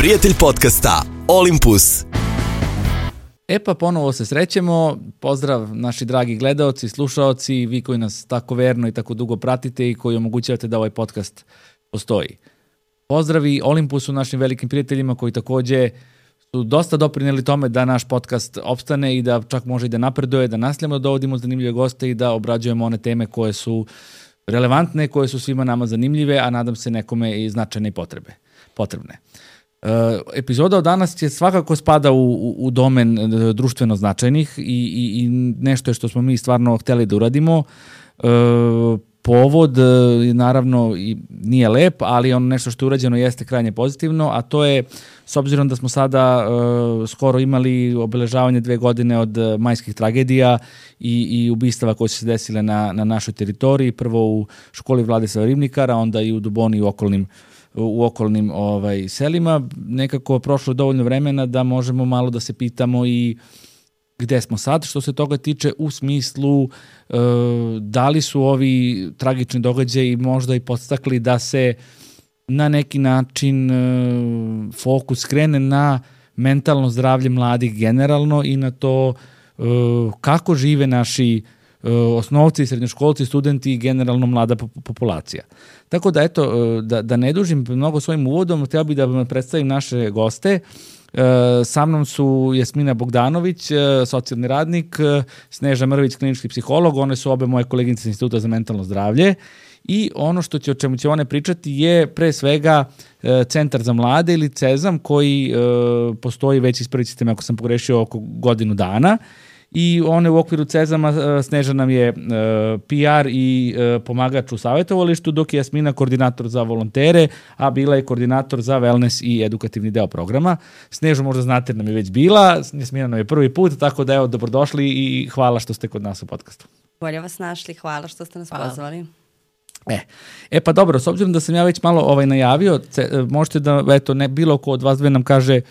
prijatelj podcasta Olympus. E pa ponovo se srećemo, pozdrav naši dragi gledaoci, slušaoci, vi koji nas tako verno i tako dugo pratite i koji omogućavate da ovaj podcast postoji. Pozdravi Olympusu, našim velikim prijateljima koji takođe su dosta doprineli tome da naš podcast opstane i da čak može i da napreduje, da nastavljamo da dovodimo zanimljive goste i da obrađujemo one teme koje su relevantne, koje su svima nama zanimljive, a nadam se nekome i značajne i potrebne. Epizoda od danas će svakako spada u domen društveno značajnih i nešto je što smo mi stvarno hteli da uradimo. Povod naravno nije lep, ali ono nešto što je urađeno jeste krajnje pozitivno, a to je, s obzirom da smo sada skoro imali obeležavanje 2 godine od majskih tragedija i ubistava koje su se desile na našoj teritoriji, prvo u školi Vladislava Ribnikara, onda i u Duboni i u okolnim selima, nekako prošlo je dovoljno vremena da možemo malo da se pitamo i gde smo sad, što se toga tiče, u smislu da li su ovi tragični događaji možda i podstakli da se na neki način fokus skrene na mentalno zdravlje mladih generalno i na to kako žive naši osnovci, srednjoškolci, studenti i generalno mlada populacija. Tako da, eto, da ne dužim mnogo svojim uvodom, htio bih da vam predstavim naše goste. Sa mnom su Jasmina Bogdanović, socijalni radnik, Sneža Mrvić, klinički psiholog, one su obe moje koleginice Instituta za mentalno zdravlje i ono o čemu će one pričati je pre svega Centar za mlade ili CEZAM koji postoji već, ispravite me ako sam pogrešio, oko godinu dana. I one u okviru CEZAM-a Sneža nam je PR i pomagač u savjetovalištu, dok je Jasmina koordinator za volontere, a bila je koordinator za wellness i edukativni deo programa. Snežu možda znate jer nam je već bila, Jasmina nam je prvi put, tako da evo, dobrodošli i hvala što ste kod nas u podcastu. Bolje vas našli, hvala što ste nas pozvali. Pa dobro, s obzirom da sam ja već malo najavio, možete da, eto, bilo ko od vas dve nam kaže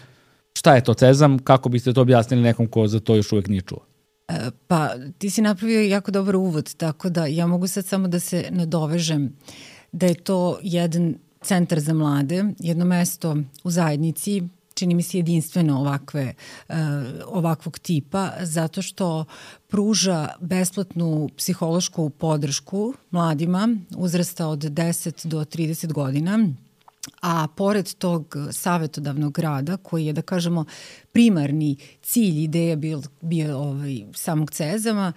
šta je to CEZAM, kako biste to objasnili nekom ko za to još uvek nije čuo? Pa ti si napravio jako dobar uvod, tako da ja mogu sad samo da se nadovežem da je to jedan centar za mlade, jedno mesto u zajednici, čini mi se jedinstveno ovakvog tipa, zato što pruža besplatnu psihološku podršku mladima uzrasta od 10 do 30 godina, a pored tog savetodavnog rada, koji je, da kažemo, primarni cilj ideja bio samog CEZAM-a,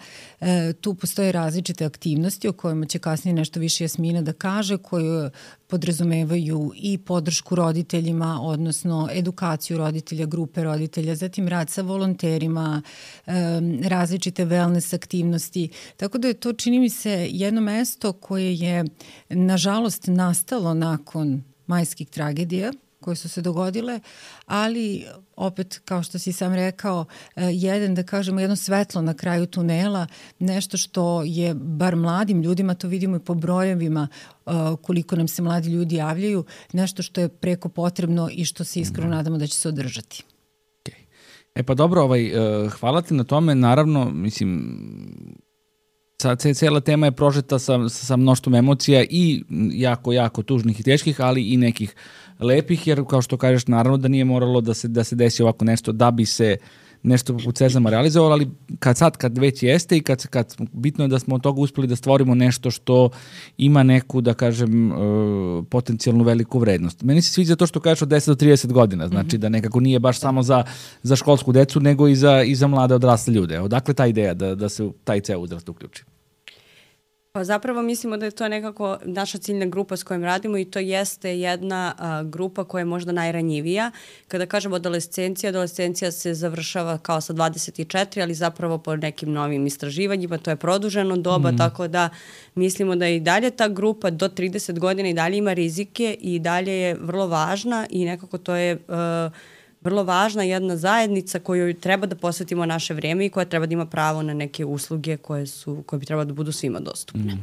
tu postoje različite aktivnosti o kojima će kasnije nešto više Jasmina da kaže, koje podrazumevaju i podršku roditeljima, odnosno edukaciju roditelja, grupe roditelja, zatim rad sa volonterima, različite wellness aktivnosti. Tako da je to, čini mi se, jedno mesto koje je, nažalost, nastalo nakon majskih tragedija koje su se dogodile, ali opet, kao što si sam rekao, jedno svetlo na kraju tunela, nešto što je bar mladim ljudima, to vidimo i po brojevima koliko nam se mladi ljudi javljaju, nešto što je preko potrebno i što se iskreno nadamo da će se održati. Pa dobro, hvala ti na tome, naravno, mislim, cijela tema je prožeta sa mnoštvom emocija i jako, jako tužnih i teških, ali i nekih lepih, jer kao što kažeš, naravno da nije moralo da se desi ovako nešto da bi se nešto poput CEZAM-a realizovalo, ali kad već jeste i kad bitno je da smo od toga uspeli da stvorimo nešto što ima neku, da kažem, potencijalnu veliku vrednost. Meni se sviđa to što kažeš od 10 do 30 godina, znači da nekako nije baš samo za školsku decu, nego i za mlade odrasle ljude. Odakle ta ideja da se taj ceo uzrast uključi? Pa zapravo mislimo da je to nekako naša ciljna grupa s kojom radimo i to jeste jedna grupa koja je možda najranjivija. Kada kažemo adolescencija se završava kao sa 24, ali zapravo po nekim novim istraživanjima to je produženo doba, tako da mislimo da i dalje ta grupa do 30 godina i dalje ima rizike i dalje je vrlo važna i nekako to je vrlo važna jedna zajednica kojoj treba da posvetimo naše vreme i koja treba da ima pravo na neke usluge koje bi trebalo da budu svima dostupne.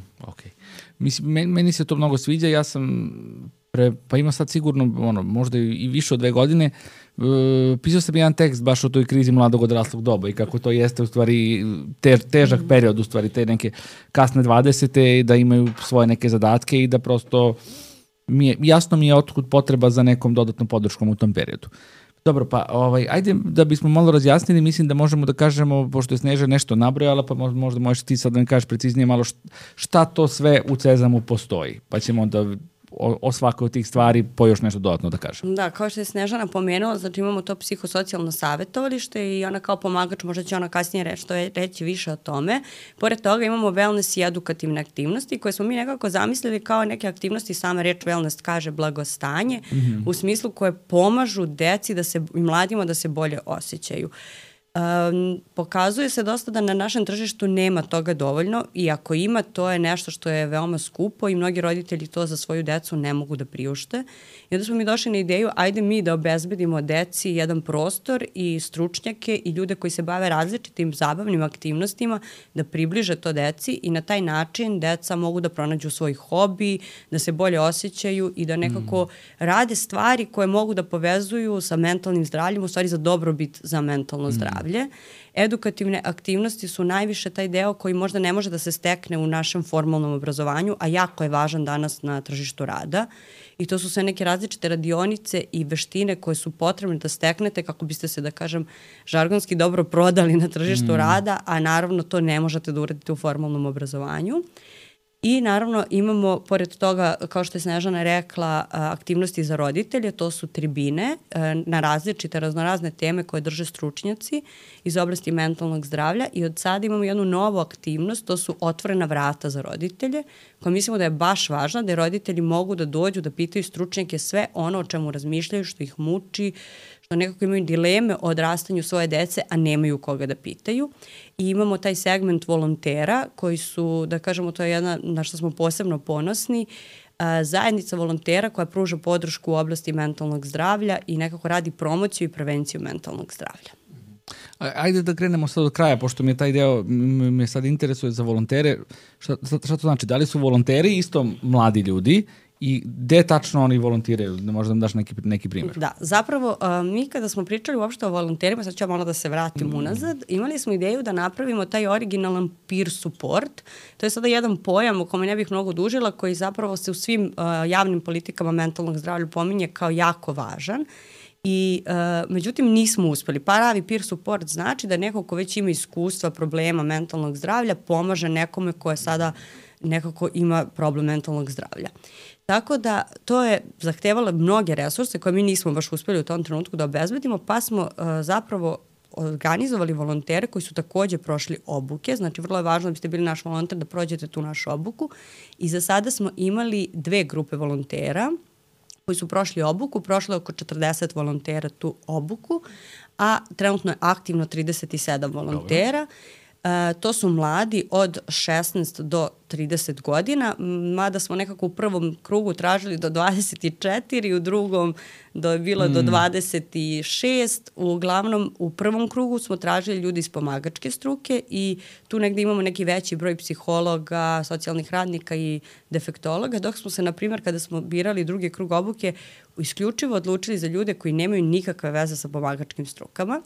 Mislim, meni se to mnogo sviđa, ja sam pa ima sad sigurno možda i više od 2 godine pisao sam jedan tekst baš o toj krizi mladog odraslog doba i kako to jeste u stvari težak period, u stvari te neke kasne 20. da imaju svoje neke zadatke i da prosto jasno mi je otkud potreba za nekom dodatnom podrškom u tom periodu. Dobro, pa ajde da bismo malo razjasnili, mislim da možemo da kažemo, pošto je Sneža nešto nabrojala, pa možda možeš ti sad da mi kažeš preciznije malo šta to sve u Cezamu postoji, pa ćemo onda o svakoj od tih stvari po još nešto dodatno da kažem. Da, kao što je Snežana pomenula, znači imamo to psihosocijalno savjetovalište i ona kao pomagač, možda će ona kasnije reći više o tome. Pored toga imamo wellness i edukativne aktivnosti koje smo mi nekako zamislili kao neke aktivnosti, sama reč wellness kaže blagostanje, u smislu koje pomažu deci i mladima da se bolje osjećaju. Pokazuje se dosta da na našem tržištu nema toga dovoljno i ako ima, to je nešto što je veoma skupo i mnogi roditelji to za svoju decu ne mogu da priušte. I onda smo mi došli na ideju, ajde mi da obezbedimo deci jedan prostor i stručnjake i ljude koji se bave različitim zabavnim aktivnostima da približe to deci i na taj način deca mogu da pronađu svoj hobi, da se bolje osjećaju i da nekako rade stvari koje mogu da povezuju sa mentalnim zdravljem, u stvari za dobrobit za mentalno zdravlje. Edukativne aktivnosti su najviše taj deo koji možda ne može da se stekne u našem formalnom obrazovanju, a jako je važan danas na tržištu rada. I to su sve neke različite radionice i veštine koje su potrebne da steknete kako biste se, da kažem, žargonski dobro prodali na tržištu rada, a naravno to ne možete da uradite u formalnom obrazovanju. I naravno imamo, pored toga, kao što je Snežana rekla, aktivnosti za roditelje, to su tribine na različite, raznorazne teme koje drže stručnjaci iz oblasti mentalnog zdravlja i od sada imamo jednu novu aktivnost, to su otvorena vrata za roditelje, koja mislimo da je baš važna, da roditelji mogu da dođu da pitaju stručnjake sve ono o čemu razmišljaju, što ih muči, što nekako imaju dileme o odrastanju svoje dece, a nemaju koga da pitaju. I imamo taj segment volontera koji su, da kažemo, to je jedna na što smo posebno ponosni, zajednica volontera koja pruža podršku u oblasti mentalnog zdravlja i nekako radi promociju i prevenciju mentalnog zdravlja. Ajde da krenemo sad od kraja, pošto mi je taj deo, me sad interesuje za volontere. Šta to znači? Da li su volonteri isto mladi ljudi i gde tačno oni volontiraju? Da možda nam daš neki primjer. Da, zapravo mi kada smo pričali uopšte o volonterima, sad ću malo da se vratim unazad, imali smo ideju da napravimo taj originalan peer support. To je sada jedan pojam o kome ne bih mnogo dužila, koji zapravo se u svim javnim politikama mentalnog zdravlja pominje kao jako važan. I međutim nismo uspeli. Pravi peer support znači da neko ko već ima iskustva, problema mentalnog zdravlja pomaže nekome ko je sada nekako ima problem mentalnog zdravlja. Tako da to je zahtevalo mnoge resurse koje mi nismo baš uspeli u tom trenutku da obezbedimo, pa smo zapravo organizovali volontere koji su takođe prošli obuke, znači vrlo je važno da biste bili naš volonter da prođete tu našu obuku i za sada smo imali 2 grupe volontera koji su prošli obuku, prošlo je oko 40 volontera tu obuku, a trenutno je aktivno 37 volontera. Dobro. To su mladi od 16 do 30 godina, mada smo nekako u prvom krugu tražili do 24, u drugom je bilo do 26. Uglavnom, u prvom krugu smo tražili ljudi iz pomagačke struke i tu negde imamo neki veći broj psihologa, socijalnih radnika i defektologa, dok smo se, na primjer, kada smo birali drugi krug obuke, isključivo odlučili za ljude koji nemaju nikakve veze sa pomagačkim strukama.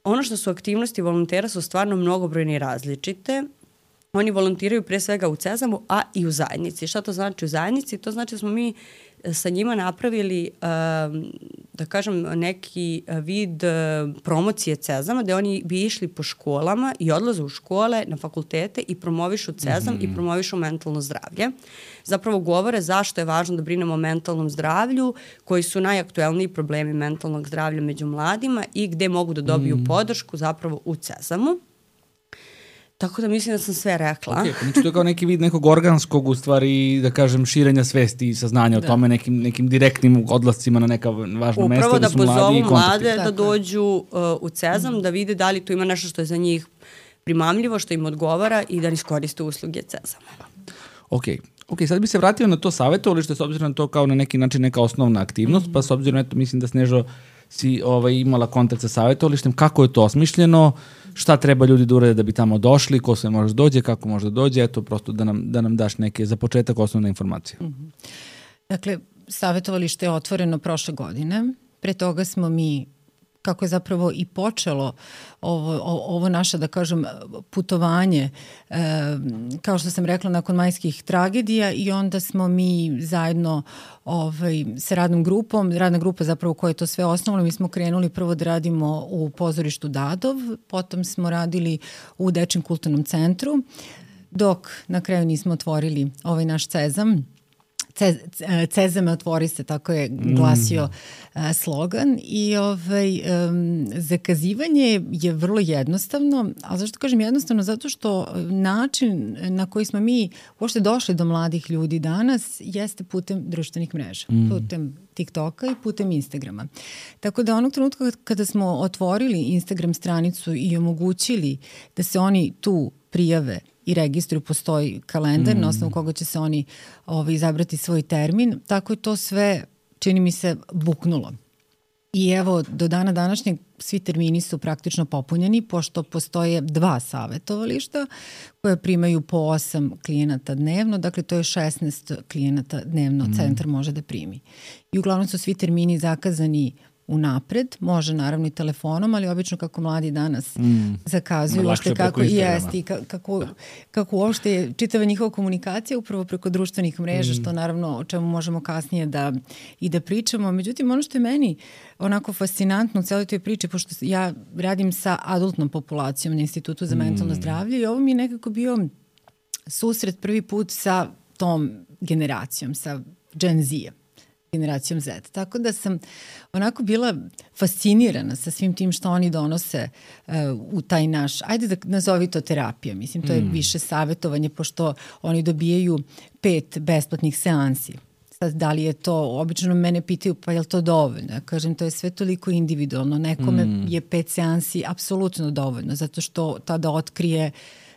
Ono što su aktivnosti volontera su stvarno mnogobrojne i različite. Oni volontiraju pre svega u Cezamu, a i u zajednici. Šta to znači u zajednici? To znači da smo mi sa njima napravili, da kažem, neki vid promocije Cezama, gde oni bi išli po školama i odlaze u škole, na fakultete i promovišu Cezam i promovišu mentalno zdravlje. Zapravo govore zašto je važno da brinemo o mentalnom zdravlju, koji su najaktuelniji problemi mentalnog zdravlja među mladima i gde mogu da dobiju podršku zapravo u Cezamu. Tako da mislim da sam sve rekla. Znači to je kao neki vid nekog organskog, u stvari, da kažem, širenja svesti i saznanja o tome, nekim direktnim odlascima na neka važna mesta. Upravo da pozovu mlade da dođu u Cezam, da vide da li tu ima nešto što je za njih primamljivo, što im odgovara i da iskoriste usluge Cezama. Ok, sad bi se vratio na to savjetovalište, s obzirom na to kao na neki način neka osnovna aktivnost, pa s obzirom, eto, mislim da Snežo si imala kontakt sa savjetovalištem, kako je to osmišljeno, šta treba ljudi da urade da bi tamo došli, ko se može dođe, kako može dođe, eto, prosto da nam daš neke, za početak, osnovne informacije. Dakle, savjetovalište je otvoreno prošle godine, pre toga smo mi kako je zapravo i počelo ovo naše, da kažem, putovanje, kao što sam rekla, nakon majskih tragedija, i onda smo mi zajedno sa radnom grupom, radna grupa zapravo koja je to sve osnovalo, mi smo krenuli prvo da radimo u pozorištu Dadov, potom smo radili u Dečjem kulturnom centru, dok na kraju nismo otvorili ovaj naš Cezam. Cezame otvori se, tako je glasio slogan, i zakazivanje je vrlo jednostavno. A zašto kažem jednostavno? Zato što način na koji smo mi uopšte došli do mladih ljudi danas jeste putem društvenih mreža, putem TikToka i putem Instagrama. Tako da onog trenutka kada smo otvorili Instagram stranicu i omogućili da se oni tu prijave i registruju, postoji kalendar na osnovu koga će se oni izabrati svoj termin, tako je to sve, čini mi se, buknulo. I evo, do dana današnjeg svi termini su praktično popunjeni, pošto postoje 2 savetovališta koje primaju po 8 klijenata dnevno, dakle to je 16 klijenata dnevno centar može da primi. I uglavnom su svi termini zakazani unapred, može naravno i telefonom, ali obično kako mladi danas zakazuju, uopšte kako i jesti, kako uopšte je čitava njihova komunikacija upravo preko društvenih mreža, što naravno o čemu možemo kasnije da pričamo. Međutim, ono što je meni onako fascinantno u celoj toj priči, pošto ja radim sa adultnom populacijom na Institutu za mentalno zdravlje, i ovo mi je nekako bio susret prvi put sa tom generacijom, sa Gen Z-a, generacijom Z. Tako da sam onako bila fascinirana sa svim tim što oni donose u taj naš, ajde da nazovi to terapija, mislim, to je više savjetovanje, pošto oni dobijaju 5 besplatnih seansi. Sad, da li je to, obično mene pitaju, pa je li to dovoljno? Ja kažem, to je sve toliko individualno. Nekome je 5 seansi apsolutno dovoljno, zato što tada otkrije,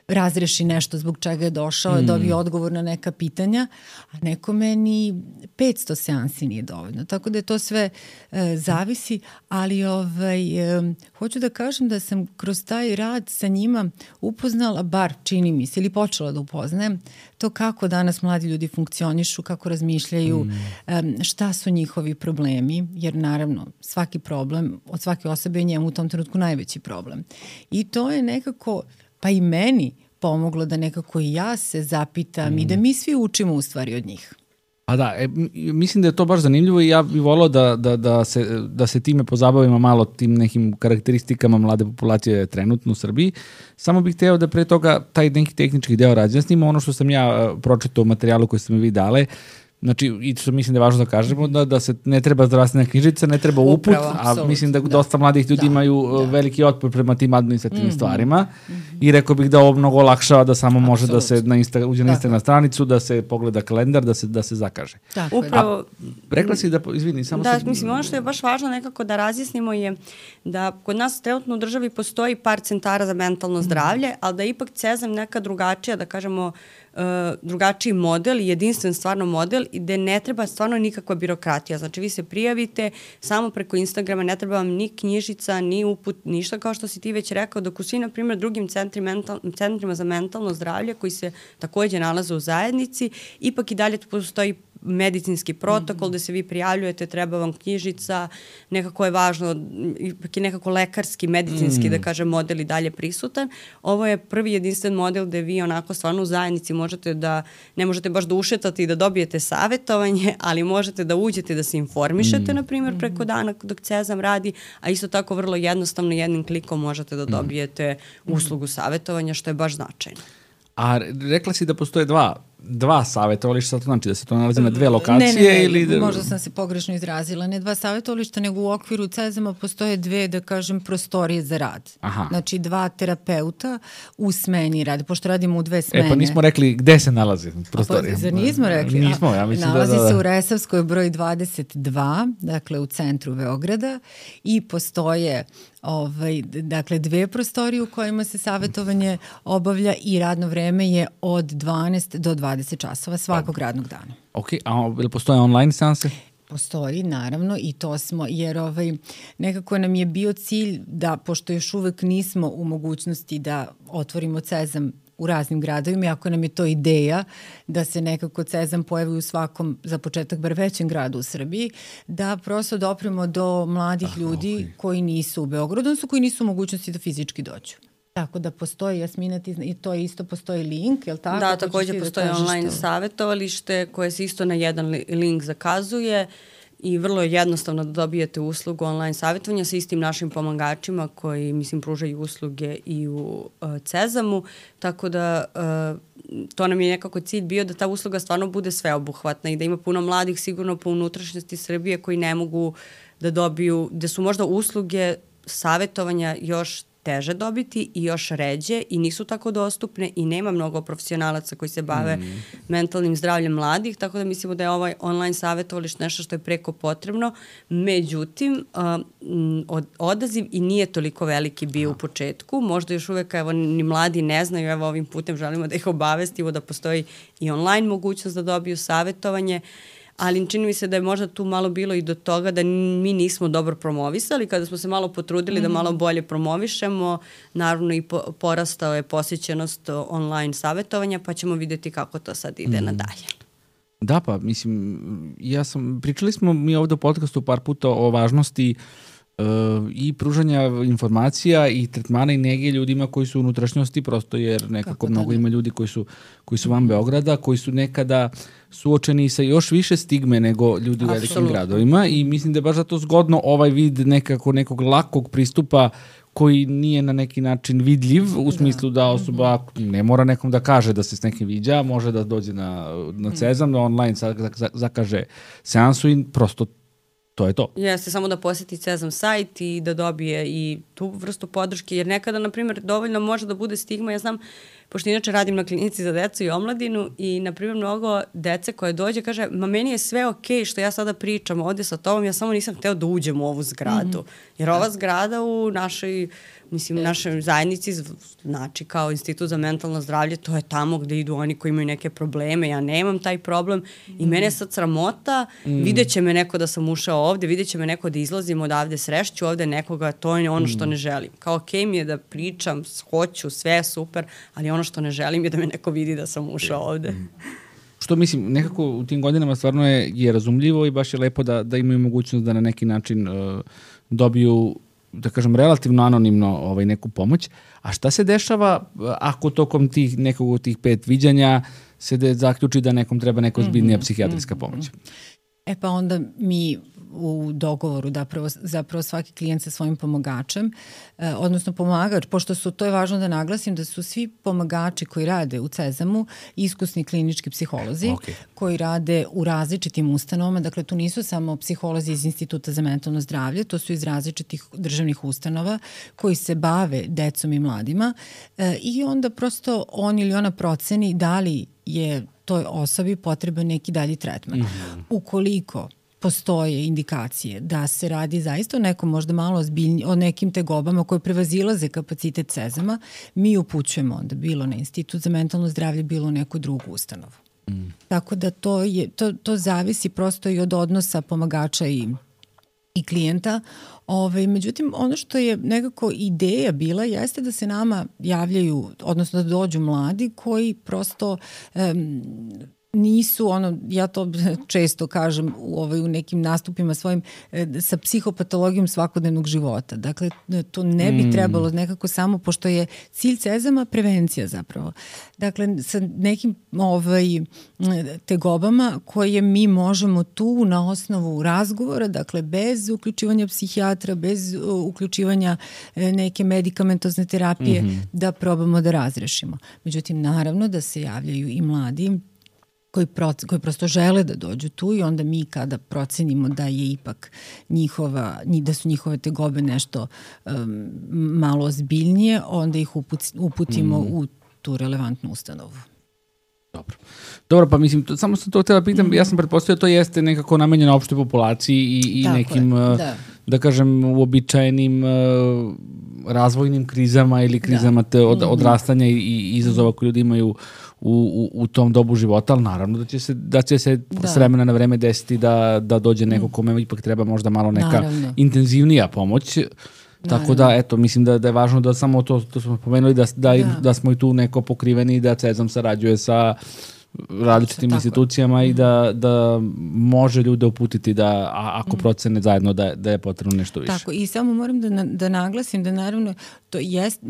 razreši nešto zbog čega je došao, dobije odgovor na neka pitanja, a nekome ni 500 seansi nije dovoljno. Tako da je to sve zavisi, ali hoću da kažem da sam kroz taj rad sa njima upoznala, bar čini mi se, ili počela da upoznajem, to kako danas mladi ljudi funkcionišu, kako razmišljaju, šta su njihovi problemi, jer naravno svaki problem od svake osobe je njemu u tom trenutku najveći problem. I to je nekako, pa i meni pomoglo da nekako i ja se zapitam i da mi svi učimo u stvari od njih. A da, mislim da je to baš zanimljivo i ja bih volao da se time pozabavimo malo, tim nekim karakteristikama mlade populacije trenutno u Srbiji. Samo bih hteo da pre toga taj neki tehnički deo razjasnimo. Ono što sam ja pročitao u materijalu koji ste mi vi dale, znači, i što mislim da je važno da kažemo, da se ne treba zdravstvena knjižica, ne treba uput, a mislim da dosta mladih ljudi imaju veliki otpor prema tim administrativnim stvarima i rekao bih da ovo mnogo olakšava da samo može da se uđe na Instagram stranicu, da se pogleda kalendar, da se zakaže. Upravo. Rekla si da, izvini, samo da, mislim, ono što je baš važno nekako da razjasnimo je da kod nas trenutno u državi postoji par centara za mentalno zdravlje, ali da ipak Cezam neka drugačija, da kažemo, drugačiji model, jedinstven stvarno model, gde ne treba stvarno nikakva birokratija. Znači vi se prijavite samo preko Instagrama, ne treba vam ni knjižica, ni uput, ništa, kao što si ti već rekao, dok u svi, na primjer, drugim centrima za mentalno zdravlje koji se takođe nalaze u zajednici, ipak i dalje postoji medicinski protokol gde se vi prijavljujete, treba vam knjižica, nekako je važno, ipak je nekako lekarski, medicinski, da kažem, model i dalje prisutan. Ovo je prvi jedinstven model gde vi onako stvarno u zajednici možete da, ne možete baš da ušetate i da dobijete savjetovanje, ali možete da uđete da se informišete, na primjer, preko dana dok Cezam radi, a isto tako vrlo jednostavno jednim klikom možete da dobijete uslugu savjetovanja, što je baš značajno. A rekla si da postoje dva savjetovališta, to znači da se to nalazi na 2 lokacije? Ne, ili možda sam se pogrešno izrazila. Ne 2 savjetovališta, nego u okviru Cezama postoje 2, da kažem, prostorije za rad. Aha. Znači 2 terapeuta u smeni rade, pošto radimo u 2 smene. Pa nismo rekli gde se nalazi prostorije. Zar nismo rekli? Nismo, ja mislim nalazi se u Resavskoj broj 22, dakle u centru Beograda, i postoje dakle 2 prostorije u kojima se savjetovanje obavlja i radno vreme je od 12 do 20 časova svakog radnog dana. Ok, a ili postoje online seanse? Postoji, naravno, i to smo, jer nekako nam je bio cilj da, pošto još uvek nismo u mogućnosti da otvorimo Cezam u raznim gradovima, iako nam je to ideja da se nekako Cezam pojavi u svakom, za početak, bar većem gradu u Srbiji, da prosto dopremo do mladih ljudi koji nisu u Beogradu, odnosno koji nisu u mogućnosti da fizički dođu. Tako da postoji, Jasmina, i to isto postoji link, je li tako? Da, takođe postoji online savjetovalište koje se isto na jedan link zakazuje i vrlo je jednostavno da dobijete uslugu online savjetovanja sa istim našim pomagačima koji, mislim, pružaju usluge i u Cezamu, tako da to nam je nekako cilj bio da ta usluga stvarno bude sveobuhvatna i da ima puno mladih sigurno po unutrašnjosti Srbije koji ne mogu da dobiju, da su možda usluge savjetovanja još teže dobiti i još ređe i nisu tako dostupne i nema mnogo profesionalaca koji se bave mentalnim zdravljem mladih, tako da mislimo da je ovaj online savjetovalište nešto što je preko potrebno. Međutim, odaziv i nije toliko veliki bio u početku. Možda još uvek, evo, ni mladi ne znaju, evo ovim putem želimo da ih obavestimo da postoji i online mogućnost da dobiju savjetovanje, ali čini mi se da je možda tu malo bilo i do toga da mi nismo dobro promovisali. Kada smo se malo potrudili da malo bolje promovišemo, naravno i porastao je posjećenost online savjetovanja, pa ćemo vidjeti kako to sad ide nadalje. Da, pa mislim, pričali smo mi ovde u podcastu par puta o važnosti i pružanja informacija i tretmana i nege ljudima koji su u unutrašnjosti, prosto jer nekako mnogo ima ljudi koji su van Beograda, koji su nekada suočeni sa još više stigme nego ljudi u velikim gradovima i mislim da je baš zato zgodno ovaj vid nekog lakog pristupa koji nije na neki način vidljiv, u smislu da osoba ne mora nekom da kaže da se s nekim viđa, može da dođe na Cezam, da online zakaže seansu i prosto to je to. Jeste, samo da poseti Cezam sajt i da dobije i tu vrstu podrške, jer nekada, na primjer, dovoljno može da bude stigma. Ja znam, pošto inače radim na klinici za decu i omladinu i, na primjer, mnogo dece koje dođe kaže, ma meni je sve okej što ja sada pričam ovdje sa tobom, ja samo nisam hteo da uđem u ovu zgradu. Jer ova zgrada u našoj zajednici, znači kao Institut za mentalno zdravlje, to je tamo gde idu oni koji imaju neke probleme, ja nemam taj problem i mene je sad sramota, vidjet će me neko da sam ušao ovde, vidjet će me neko da izlazim odavde, srešću ovde nekoga, to je ono što ne želim. Kao okej mi je da pričam, hoću, sve je super, ali ono što ne želim je da me neko vidi da sam ušao ovde. Što mislim, nekako u tim godinama stvarno je razumljivo i baš je lepo da imaju mogućnost da na neki način dobiju, da kažem, relativno anonimno neku pomoć. A šta se dešava ako tokom nekog od tih 5 viđanja se zaključi da nekom treba neka ozbiljnija psihijatrijska pomoć? Pa onda mi u dogovoru zapravo svaki klijent sa svojim pomagačem, odnosno pomagač, pošto to je važno da naglasim da su svi pomagači koji rade u Cezamu iskusni klinički psiholozi koji rade u različitim ustanovama, dakle tu nisu samo psiholozi iz Instituta za mentalno zdravlje, to su iz različitih državnih ustanova koji se bave decom i mladima i onda prosto on ili ona proceni da li je toj osobi potreban neki dalji tretman. Ukoliko postoje indikacije da se radi zaista o nekom možda malo ozbiljnije, o nekim tegobama koje prevazilaze kapacitet Cezama, mi upućujemo onda bilo na Institut za mentalno zdravlje, bilo u neku drugu ustanovu. Tako da to zavisi prosto i od odnosa pomagača i klijenta. Međutim, ono što je nekako ideja bila jeste da se nama javljaju, odnosno da dođu mladi koji prosto nisu, ja to često kažem u nekim nastupima svojim, sa psihopatologijom svakodnevnog života. Dakle, to ne bi trebalo nekako samo, pošto je cilj Cezama prevencija zapravo. Dakle, sa nekim tegobama koje mi možemo tu na osnovu razgovora, dakle, bez uključivanja psihijatra, bez uključivanja neke medikamentozne terapije, da probamo da razrešimo. Međutim, naravno da se javljaju i mladi koji prosto žele da dođu tu i onda mi kada procenimo da je ipak da su njihove tegobe nešto malo ozbiljnije, onda ih uputimo u tu relevantnu ustanovu. Dobro, pa mislim, samo sam to htjela pitam, ja sam pretpostavio da to jeste nekako namenjeno opštoj populaciji i nekim, da kažem, uobičajenim razvojnim krizama ili krizama odrastanja i izazova koje ljudi imaju u tom dobu života, ali naravno da će se s vremena na vreme desiti da dođe neko kome ipak treba možda malo neka intenzivnija pomoć. Tako da, eto, mislim da je važno da samo to smo pomenuli, da smo i tu neko pokriveni i da CEZAM sarađuje sa različitim institucijama i da može ljude uputiti da, ako procene zajedno da je potrebno nešto više. Tako, i samo moram da naglasim da naravno to jest,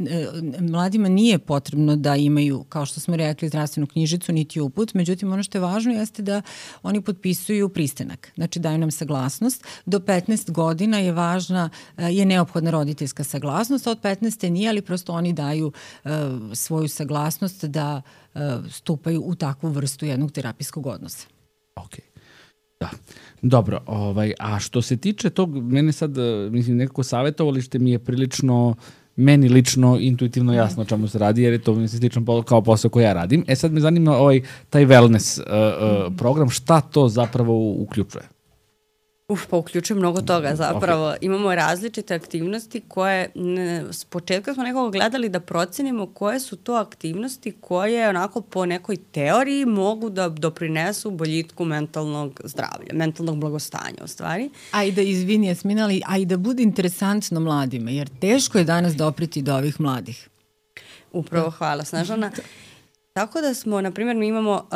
mladima nije potrebno da imaju, kao što smo rekli, zdravstvenu knjižicu, niti uput, međutim ono što je važno jeste da oni potpisuju pristanak, znači daju nam saglasnost. Do 15 godina je neophodna roditeljska saglasnost, a od 15. nije, ali prosto oni daju svoju saglasnost da stupaju u takvu vrstu jednog terapijskog odnosa. Ok. Da. Dobro, a što se tiče tog, mene sad, mislim, nekako savjetovalište mi je prilično, meni lično, intuitivno jasno o čemu se radi, jer je to slično kao posao koji ja radim. Sad me zanima taj wellness program, šta to zapravo uključuje? Pa uključuje mnogo toga zapravo. Okay. Imamo različite aktivnosti koje, s početka smo nekako gledali da procenimo koje su to aktivnosti koje onako po nekoj teoriji mogu da doprinesu boljitku mentalnog zdravlja, mentalnog blagostanja u stvari. A i da, izvini Jasmina, a i da bude interesantno mladima, jer teško je danas dopriti do ovih mladih. Upravo, hvala Snežana. Tako da smo, na primjer, mi imamo,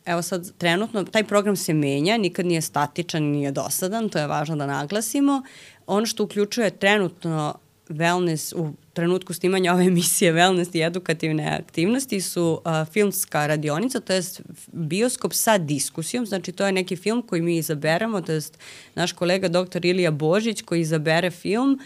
evo sad trenutno, taj program se menja, nikad nije statičan, nije dosadan, to je važno da naglasimo. Ono što uključuje trenutno wellness, u trenutku snimanja ove emisije wellness i edukativne aktivnosti su filmska radionica, to je bioskop sa diskusijom, znači to je neki film koji mi izaberemo, to je naš kolega dr. Ilija Božić koji izabere film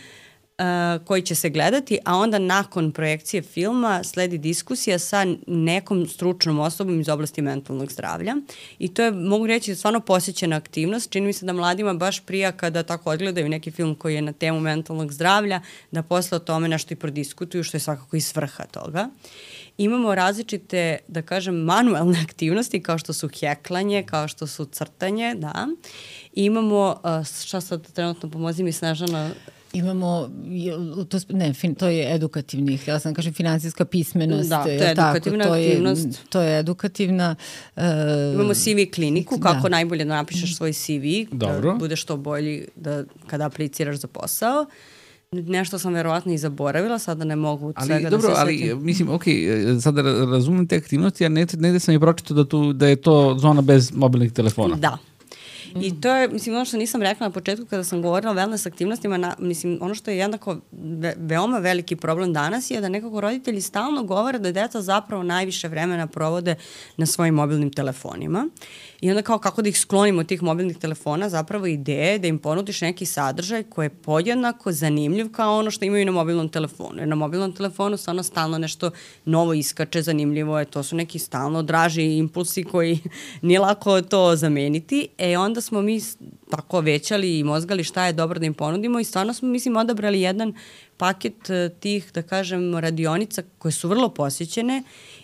koji će se gledati, a onda nakon projekcije filma sledi diskusija sa nekom stručnom osobom iz oblasti mentalnog zdravlja. I to je, mogu reći, stvarno posjećena aktivnost. Čini mi se da mladima baš prija kada tako odgledaju neki film koji je na temu mentalnog zdravlja, da posle o tome nešto i prodiskutuju, što je svakako i svrha toga. Imamo različite, da kažem, manuelne aktivnosti, kao što su heklanje, kao što su crtanje, da. I imamo, šta sad trenutno pomozi mi Snežana? Imamo, to je edukativni, htjela sam kažem finansijska pismenost. Da, to je edukativna aktivnost. To je edukativna. Imamo CV kliniku, kako najbolje da napišeš svoj CV, da budeš što bolji kada apliciraš za posao. Nešto sam verovatno i zaboravila, sada ne mogu svega da se setim. Ali mislim, sada razumem te aktivnosti, a negde sam i pročitao da je to zona bez mobilnih telefona. Da. I to je, mislim, ono što nisam rekla na početku kada sam govorila o wellness aktivnostima, mislim, ono što je jednako veoma veliki problem danas je da nekako roditelji stalno govore da deca zapravo najviše vremena provode na svojim mobilnim telefonima. I onda kao kako da ih sklonimo od tih mobilnih telefona, zapravo ideja je da im ponudiš neki sadržaj koji je podjednako zanimljiv kao ono što imaju na mobilnom telefonu. Jer na mobilnom telefonu stvarno stalno nešto novo iskače, zanimljivo je, to su neki stalno draži impulsi koji nije lako to zameniti. Onda smo mi tako većali i mozgali šta je dobro da im ponudimo i stvarno smo, mislim, odabrali jedan paket tih, da kažem, radionica koje su vrlo posjećene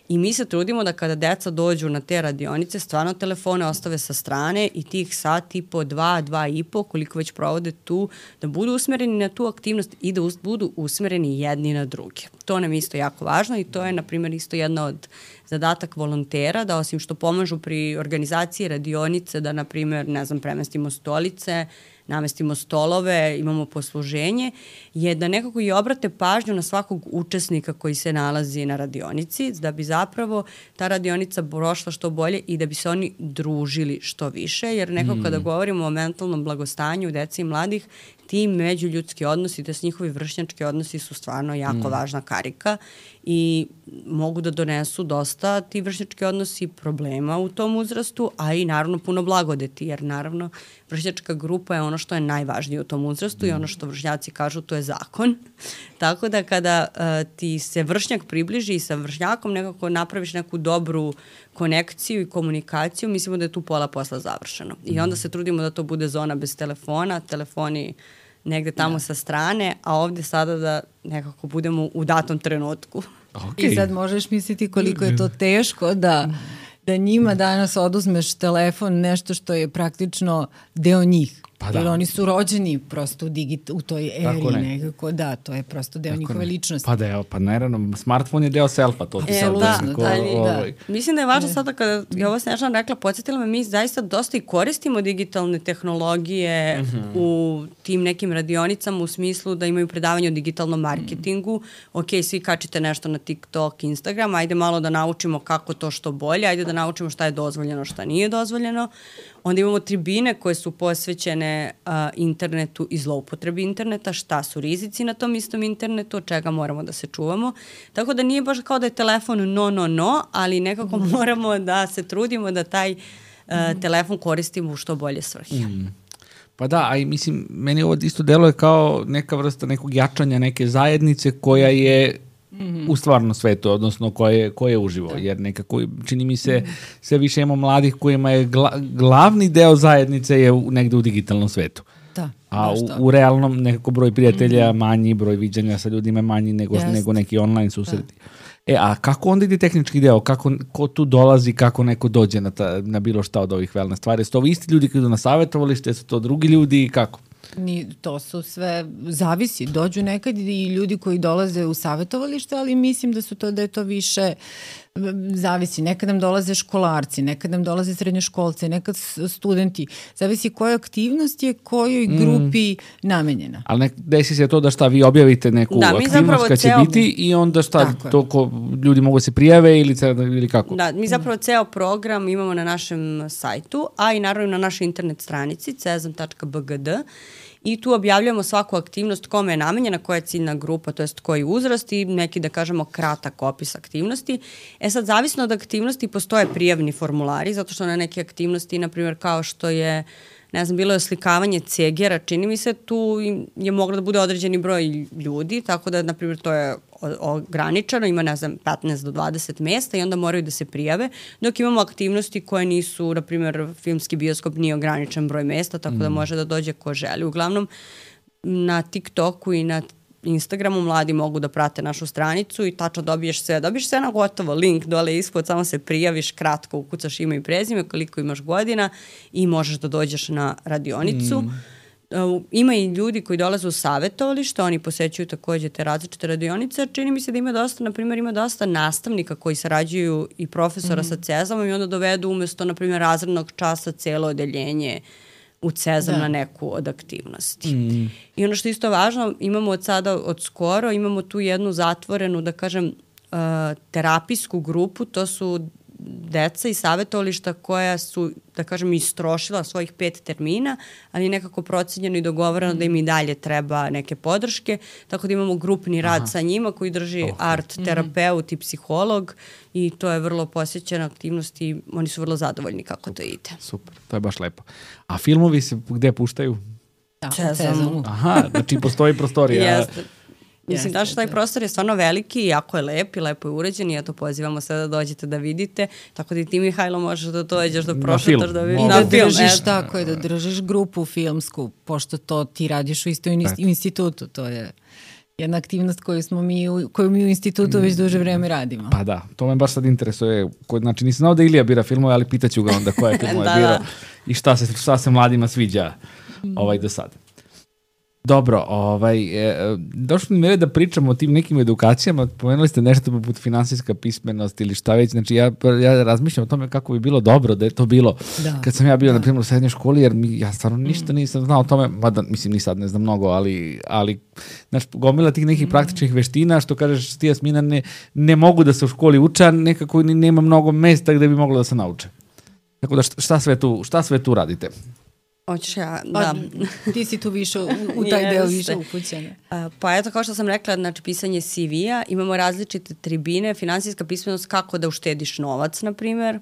i mi se trudimo da kada deca dođu na te radionice, stvarno telefone ostave sa strane i tih sat i po, 2,5, koliko već provode tu, da budu usmereni na tu aktivnost i da budu usmereni jedni na druge. To nam je isto jako važno i to je, na primjer, isto jedna od zadatak volontera, da osim što pomažu pri organizaciji radionice, da, na primjer, ne znam, premestimo stolice, namestimo stolove, imamo posluženje, je da nekako i obrate pažnju na svakog učesnika koji se nalazi na radionici, da bi zapravo ta radionica prošla što bolje i da bi se oni družili što više, jer nekako kada govorimo o mentalnom blagostanju dece i mladih, ti međuljudski odnosi, da s njihovi vršnjački odnosi su stvarno jako važna karika i mogu da donesu dosta ti vršnjački odnosi problema u tom uzrastu, a i naravno puno blagodeti, jer naravno vršnjačka grupa je ono što je najvažnije u tom uzrastu i ono što vršnjaci kažu to je zakon. Tako da kada ti se vršnjak približi i sa vršnjakom nekako napraviš neku dobru konekciju i komunikaciju, mislimo da je tu pola posla završeno. I onda se trudimo da to bude zona bez telefona, telefoni negde tamo sa strane, a ovde sada da nekako budemo u datom trenutku. I sad možeš misliti koliko je to teško da njima danas oduzmeš telefon, nešto što je praktično deo njih. Pa da. Jer oni su rođeni prosto u toj eri nekako, da, to je prosto deo njihove ličnosti. Pa da, pa naravno, smartfon je deo selfa, to ti sad da. Mislim da je važno sada kada je ovo Snežana rekla, podsjetila me, mi zaista dosta i koristimo digitalne tehnologije u tim nekim radionicama u smislu da imaju predavanje o digitalnom marketingu. Ok, svi kačite nešto na TikTok, Instagram, ajde malo da naučimo kako to što bolje, ajde da naučimo šta je dozvoljeno, šta nije dozvoljeno. Onda imamo tribine koje su posvećene internetu i zloupotrebi interneta, šta su rizici na tom istom internetu, od čega moramo da se čuvamo. Tako da nije baš kao da je telefon no, ali nekako moramo da se trudimo da taj telefon koristimo u što bolje svrhe. Pa da, a i mislim, meni ovo isto deluje kao neka vrsta nekog jačanja neke zajednice koja je u stvarnom svetu, odnosno koje je uživo, jer nekako čini mi se sve više imamo mladih kojima je glavni deo zajednice je negde u digitalnom svetu. Da, a u realnom nekako broj prijatelja manji, broj viđanja sa ljudima manji nego neki online susreti. A kako onda ide tehnički deo? Ko tu dolazi, kako neko dođe na bilo šta od ovih wellness stvari? Su to isti ljudi koji idu na savjetovalište, su to drugi ljudi i kako? To su sve, zavisi, dođu nekad i ljudi koji dolaze u savjetovalište, ali mislim da je to više, zavisi, nekad nam dolaze školarci, nekad nam dolaze srednjoškolci, nekad studenti, zavisi koja aktivnost je kojoj grupi namenjena. Ali desi se to da šta, vi objavite neku aktivnost kad će biti i onda šta, ljudi mogu se prijave ili kako? Da, mi zapravo ceo program imamo na našem sajtu, a i naravno na našoj internet stranici cezam.bgd. I tu objavljujemo svaku aktivnost kome je namenjena, koja je ciljna grupa, to jest koji uzrast i neki, da kažemo, kratak opis aktivnosti. Sad, zavisno od aktivnosti postoje prijavni formulari, zato što na neke aktivnosti, na primjer, kao što je, ne znam, bilo je oslikavanje cegera, čini mi se, tu je moglo da bude određeni broj ljudi, tako da, na primjer, to je ograničeno, ima, ne znam, 15 do 20 mesta i onda moraju da se prijave, dok imamo aktivnosti koje nisu, na primjer, filmski bioskop nije ograničen broj mesta, tako da može da dođe ko želi. Uglavnom, na TikToku i na Instagramu mladi mogu da prate našu stranicu i tačno dobiješ sve na gotovo, link dole ispod, samo se prijaviš, kratko ukucaš ime i prezime, koliko imaš godina i možeš da dođeš na radionicu. Ima i ljudi koji dolaze u savjetovalište, oni posećuju takođe te različite radionice. Čini mi se da ima dosta, na primjer, ima dosta nastavnika koji sarađuju i profesora sa Cezamom i onda dovedu umesto, na primjer, razrednog časa celo odeljenje u Cezam na neku od aktivnosti. I ono što je isto važno, imamo od skoro, imamo tu jednu zatvorenu, da kažem, terapijsku grupu, to su deca i savjetovališta koja su, da kažem, istrošila svojih 5 termina, ali nekako procenjeno i dogovoreno da im i dalje treba neke podrške, tako da imamo grupni rad sa njima koji drži art terapeut i psiholog i to je vrlo posjećena aktivnost i oni su vrlo zadovoljni kako to ide. Super, to je baš lepo. A filmovi se gde puštaju? Cezamu. Aha, znači postoji prostorija. Jeste. Mislim, da što taj prostor je stvarno veliki, jako je lep i lepo je uređen i ja to pozivamo sve da dođete da vidite, tako da i ti, Mihajlo, možeš da dođeš, da prošetaš, da vidiš. Da držiš tako je, da držiš grupu filmsku, pošto to ti radiš u istoj institutu, to je jedna aktivnost koju mi u institutu već duže vreme radimo. Pa da, to me baš sad interesuje. Znači, nisam znao da Ilija bira filmove, ali pitaću ga onda koje filmove birao i šta se mladima sviđa do sada. Dobro, došlo mi je da pričamo o tim nekim edukacijama, pomenuli ste nešto poput finansijska pismenost ili šta već, znači ja razmišljam o tome kako bi bilo dobro da je to bilo kad sam ja bio, na primjer, u srednjoj školi, jer ja stvarno ništa nisam znao o tome, mada mislim ni sad ne znam mnogo, ali znači, gomila tih nekih praktičnih veština, što kažeš ti, Jasmina, ne mogu da se u školi uče, nekako nema mnogo mesta gde bi moglo da se nauče. Tako da šta sve tu radite? Hoćeš ja, da. Ti si tu više u taj deo više upućena. Pa eto, kao što sam rekla, znači pisanje CV-a, imamo različite tribine, finansijska pismenost, kako da uštediš novac, na primjer,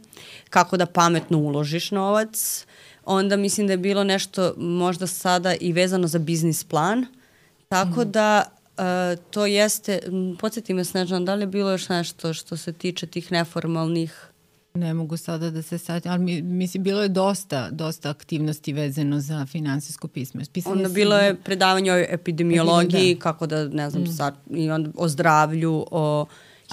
kako da pametno uložiš novac, onda mislim da je bilo nešto možda sada i vezano za biznis plan, tako da to jeste, podsjeti me, Snežana, da li je bilo još nešto što se tiče tih neformalnih? Ne mogu sada da se satim, ali mislim, bilo je dosta aktivnosti vezano za finansijsku pismenost. Onda bilo je predavanje o epidemiologiji, kako da, ne znam, i onda o zdravlju, o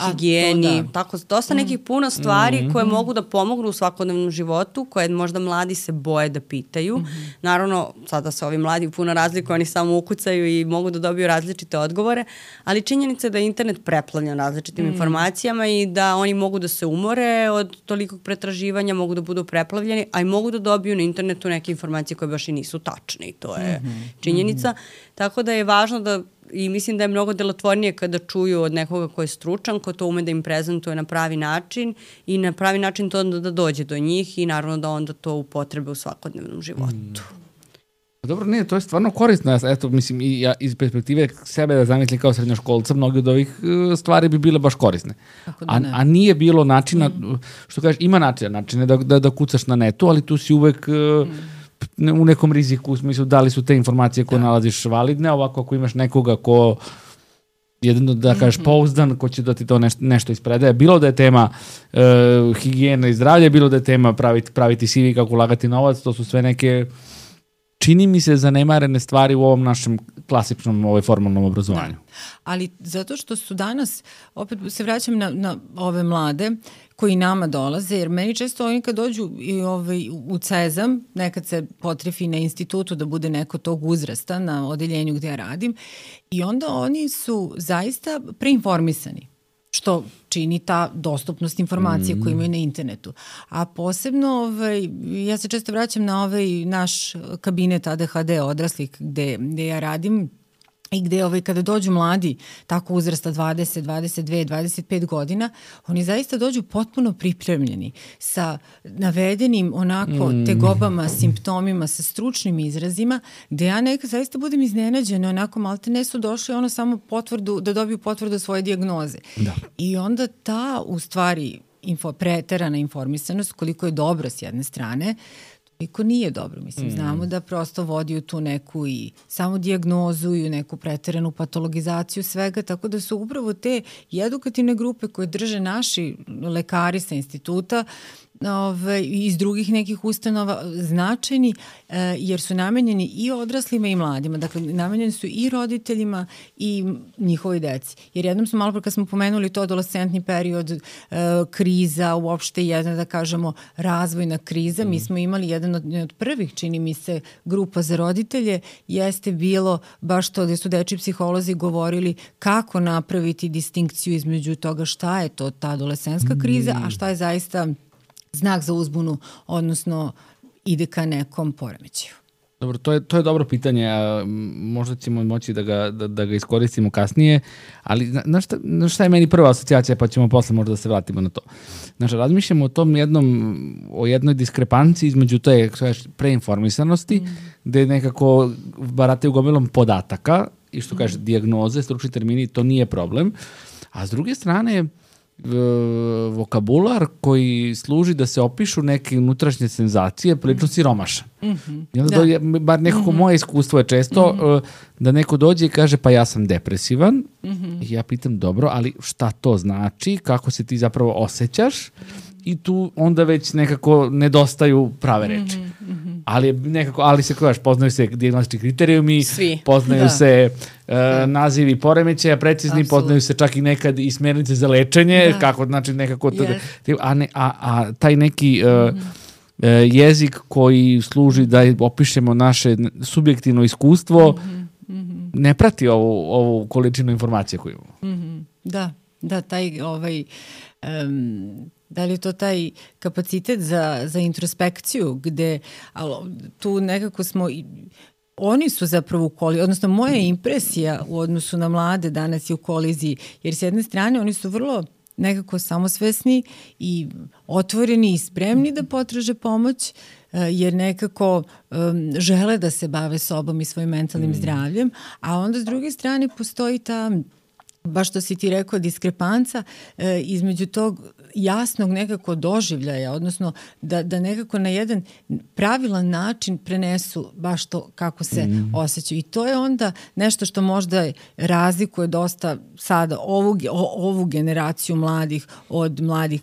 higijeni, tako, dosta nekih puno stvari koje mogu da pomognu u svakodnevnom životu, koje možda mladi se boje da pitaju. Naravno, sada se ovi mladi puno razlikuju, oni samo ukucaju i mogu da dobiju različite odgovore, ali činjenica je da je internet preplavljen različitim informacijama i da oni mogu da se umore od tolikog pretraživanja, mogu da budu preplavljeni, a i mogu da dobiju na internetu neke informacije koje baš i nisu tačne i to je činjenica. Tako da je važno da, i mislim da je mnogo delotvornije kada čuju od nekoga ko je stručan, ko to ume da im prezentuje na pravi način i na pravi način to onda da dođe do njih i naravno da onda to upotrebe u svakodnevnom životu. Dobro, ne, to je stvarno korisno. Eto, mislim, i ja iz perspektive sebe da zamislim kao srednjoškolca, mnogi od ovih stvari bi bile baš korisne. A nije bilo načina, što kažeš, ima načine da kucaš na netu, ali tu si uvek u nekom riziku, u smislu da li su te informacije koje nalaziš validne, ovako ako imaš nekoga ko jedno da kažeš pouzdan, ko će da ti to nešto ispredaje. Bilo da je tema higijena i zdravlje, bilo da je tema praviti CV, kako ulagati novac, to su sve neke, čini mi se, zanemarene stvari u ovom našem klasičnom formalnom obrazovanju. Ali zato što su danas, opet se vraćam na ove mlade koji nama dolaze, jer meni često oni kad dođu u CEZAM, nekad se potrefi na institutu da bude neko tog uzrasta na odeljenju gde ja radim, i onda oni su zaista preinformisani, što čini ta dostupnost informacije koju imaju na internetu. A posebno, ja se često vraćam na naš kabinet ADHD odraslih gde ja radim, i gde kada dođu mladi tako uzrasta 20, 22, 25 godina, oni zaista dođu potpuno pripremljeni sa navedenim onako tegobama, simptomima, sa stručnim izrazima, gde ja nekad zaista budem iznenađena, onako malte ne su došli samo da dobiju potvrdu svoje dijagnoze. Da. I onda ta u stvari preterana informisanost, koliko je dobro s jedne strane, toliko nije dobro. Mislim, znamo da prosto vodi u tu neku i samo dijagnozu i u neku preteranu patologizaciju svega, tako da su upravo te edukativne grupe koje drže naši lekari sa instituta i iz drugih nekih ustanova značajni, jer su namenjeni i odraslima i mladima. Dakle, namenjeni su i roditeljima i njihovoj deci. Jer jednom smo malo pre kad smo pomenuli to adolescentni period, kriza, uopšte jedna, da kažemo, razvojna kriza. Mi smo imali jedan od prvih, čini mi se, grupa za roditelje, jeste bilo baš to gde su dečji psiholozi govorili kako napraviti distinkciju između toga šta je to ta adolescentska kriza, a šta je zaista znak za uzbunu, odnosno ide ka nekom poremećaju. Dobro, to je dobro pitanje, možda ćemo moći da ga iskoristimo kasnije, ali znaš šta je meni prva asocijacija, pa ćemo posle možda da se vratimo na to. Znači, razmišljamo o jednoj diskrepanciji između te preinformisanosti, gde nekako barataju gomilom podataka i što kaže dijagnoze, stručni termini, to nije problem, a s druge strane vokabular koji služi da se opišu neke unutrašnje senzacije prilično siromašan. I onda dođe, bar nekako moje iskustvo je često da neko dođe i kaže pa ja sam depresivan i ja pitam dobro, ali šta to znači, kako se ti zapravo osjećaš, i tu onda već nekako nedostaju prave reči. Ali se kažeš, poznaju se dijagnostički kriterijumi, poznaju se nazivi poremećaja precizni, poznaju se čak i nekad i smjernice za lečenje, kako znači nekako a taj neki jezik koji služi da opišemo naše subjektivno iskustvo ne prati ovu količinu informacije koju imamo. Da, taj da li je to taj kapacitet za introspekciju gde tu nekako smo oni su zapravo u koliziji, odnosno moja impresija u odnosu na mlade danas je u koliziji, jer s jedne strane oni su vrlo nekako samosvesni i otvoreni i spremni da potraže pomoć, jer nekako žele da se bave sobom i svojim mentalnim zdravljem, a onda s druge strane postoji ta, baš što si ti rekao, diskrepanca između tog jasnog nekako doživljaja, odnosno da nekako na jedan pravilan način prenesu baš to kako se osjećaju. I to je onda nešto što možda razlikuje dosta sada ovu generaciju mladih od mladih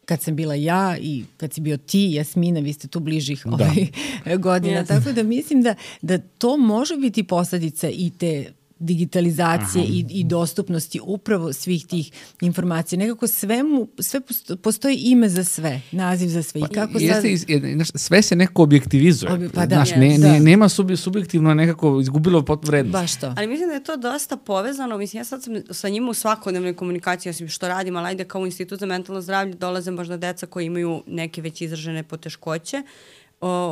kad sam bila ja i kad si bio ti, Jasmina, vi ste tu bližih godina. Tako da mislim da to može biti posledica i te digitalizacije i dostupnosti upravo svih tih informacija. Nekako sve postoji ime za sve, naziv za sve. I kako sve se nekako objektivizuje. Pa da. Nema subjektivno nekako izgubilo vrednost. Baš to. Ali mislim da je to dosta povezano. Mislim, ja sad sam sa njima u svakodnevnoj komunikaciji, osim što radim, ali ajde kao u Institut za mentalno zdravlje dolaze možda deca koji imaju neke već izražene poteškoće.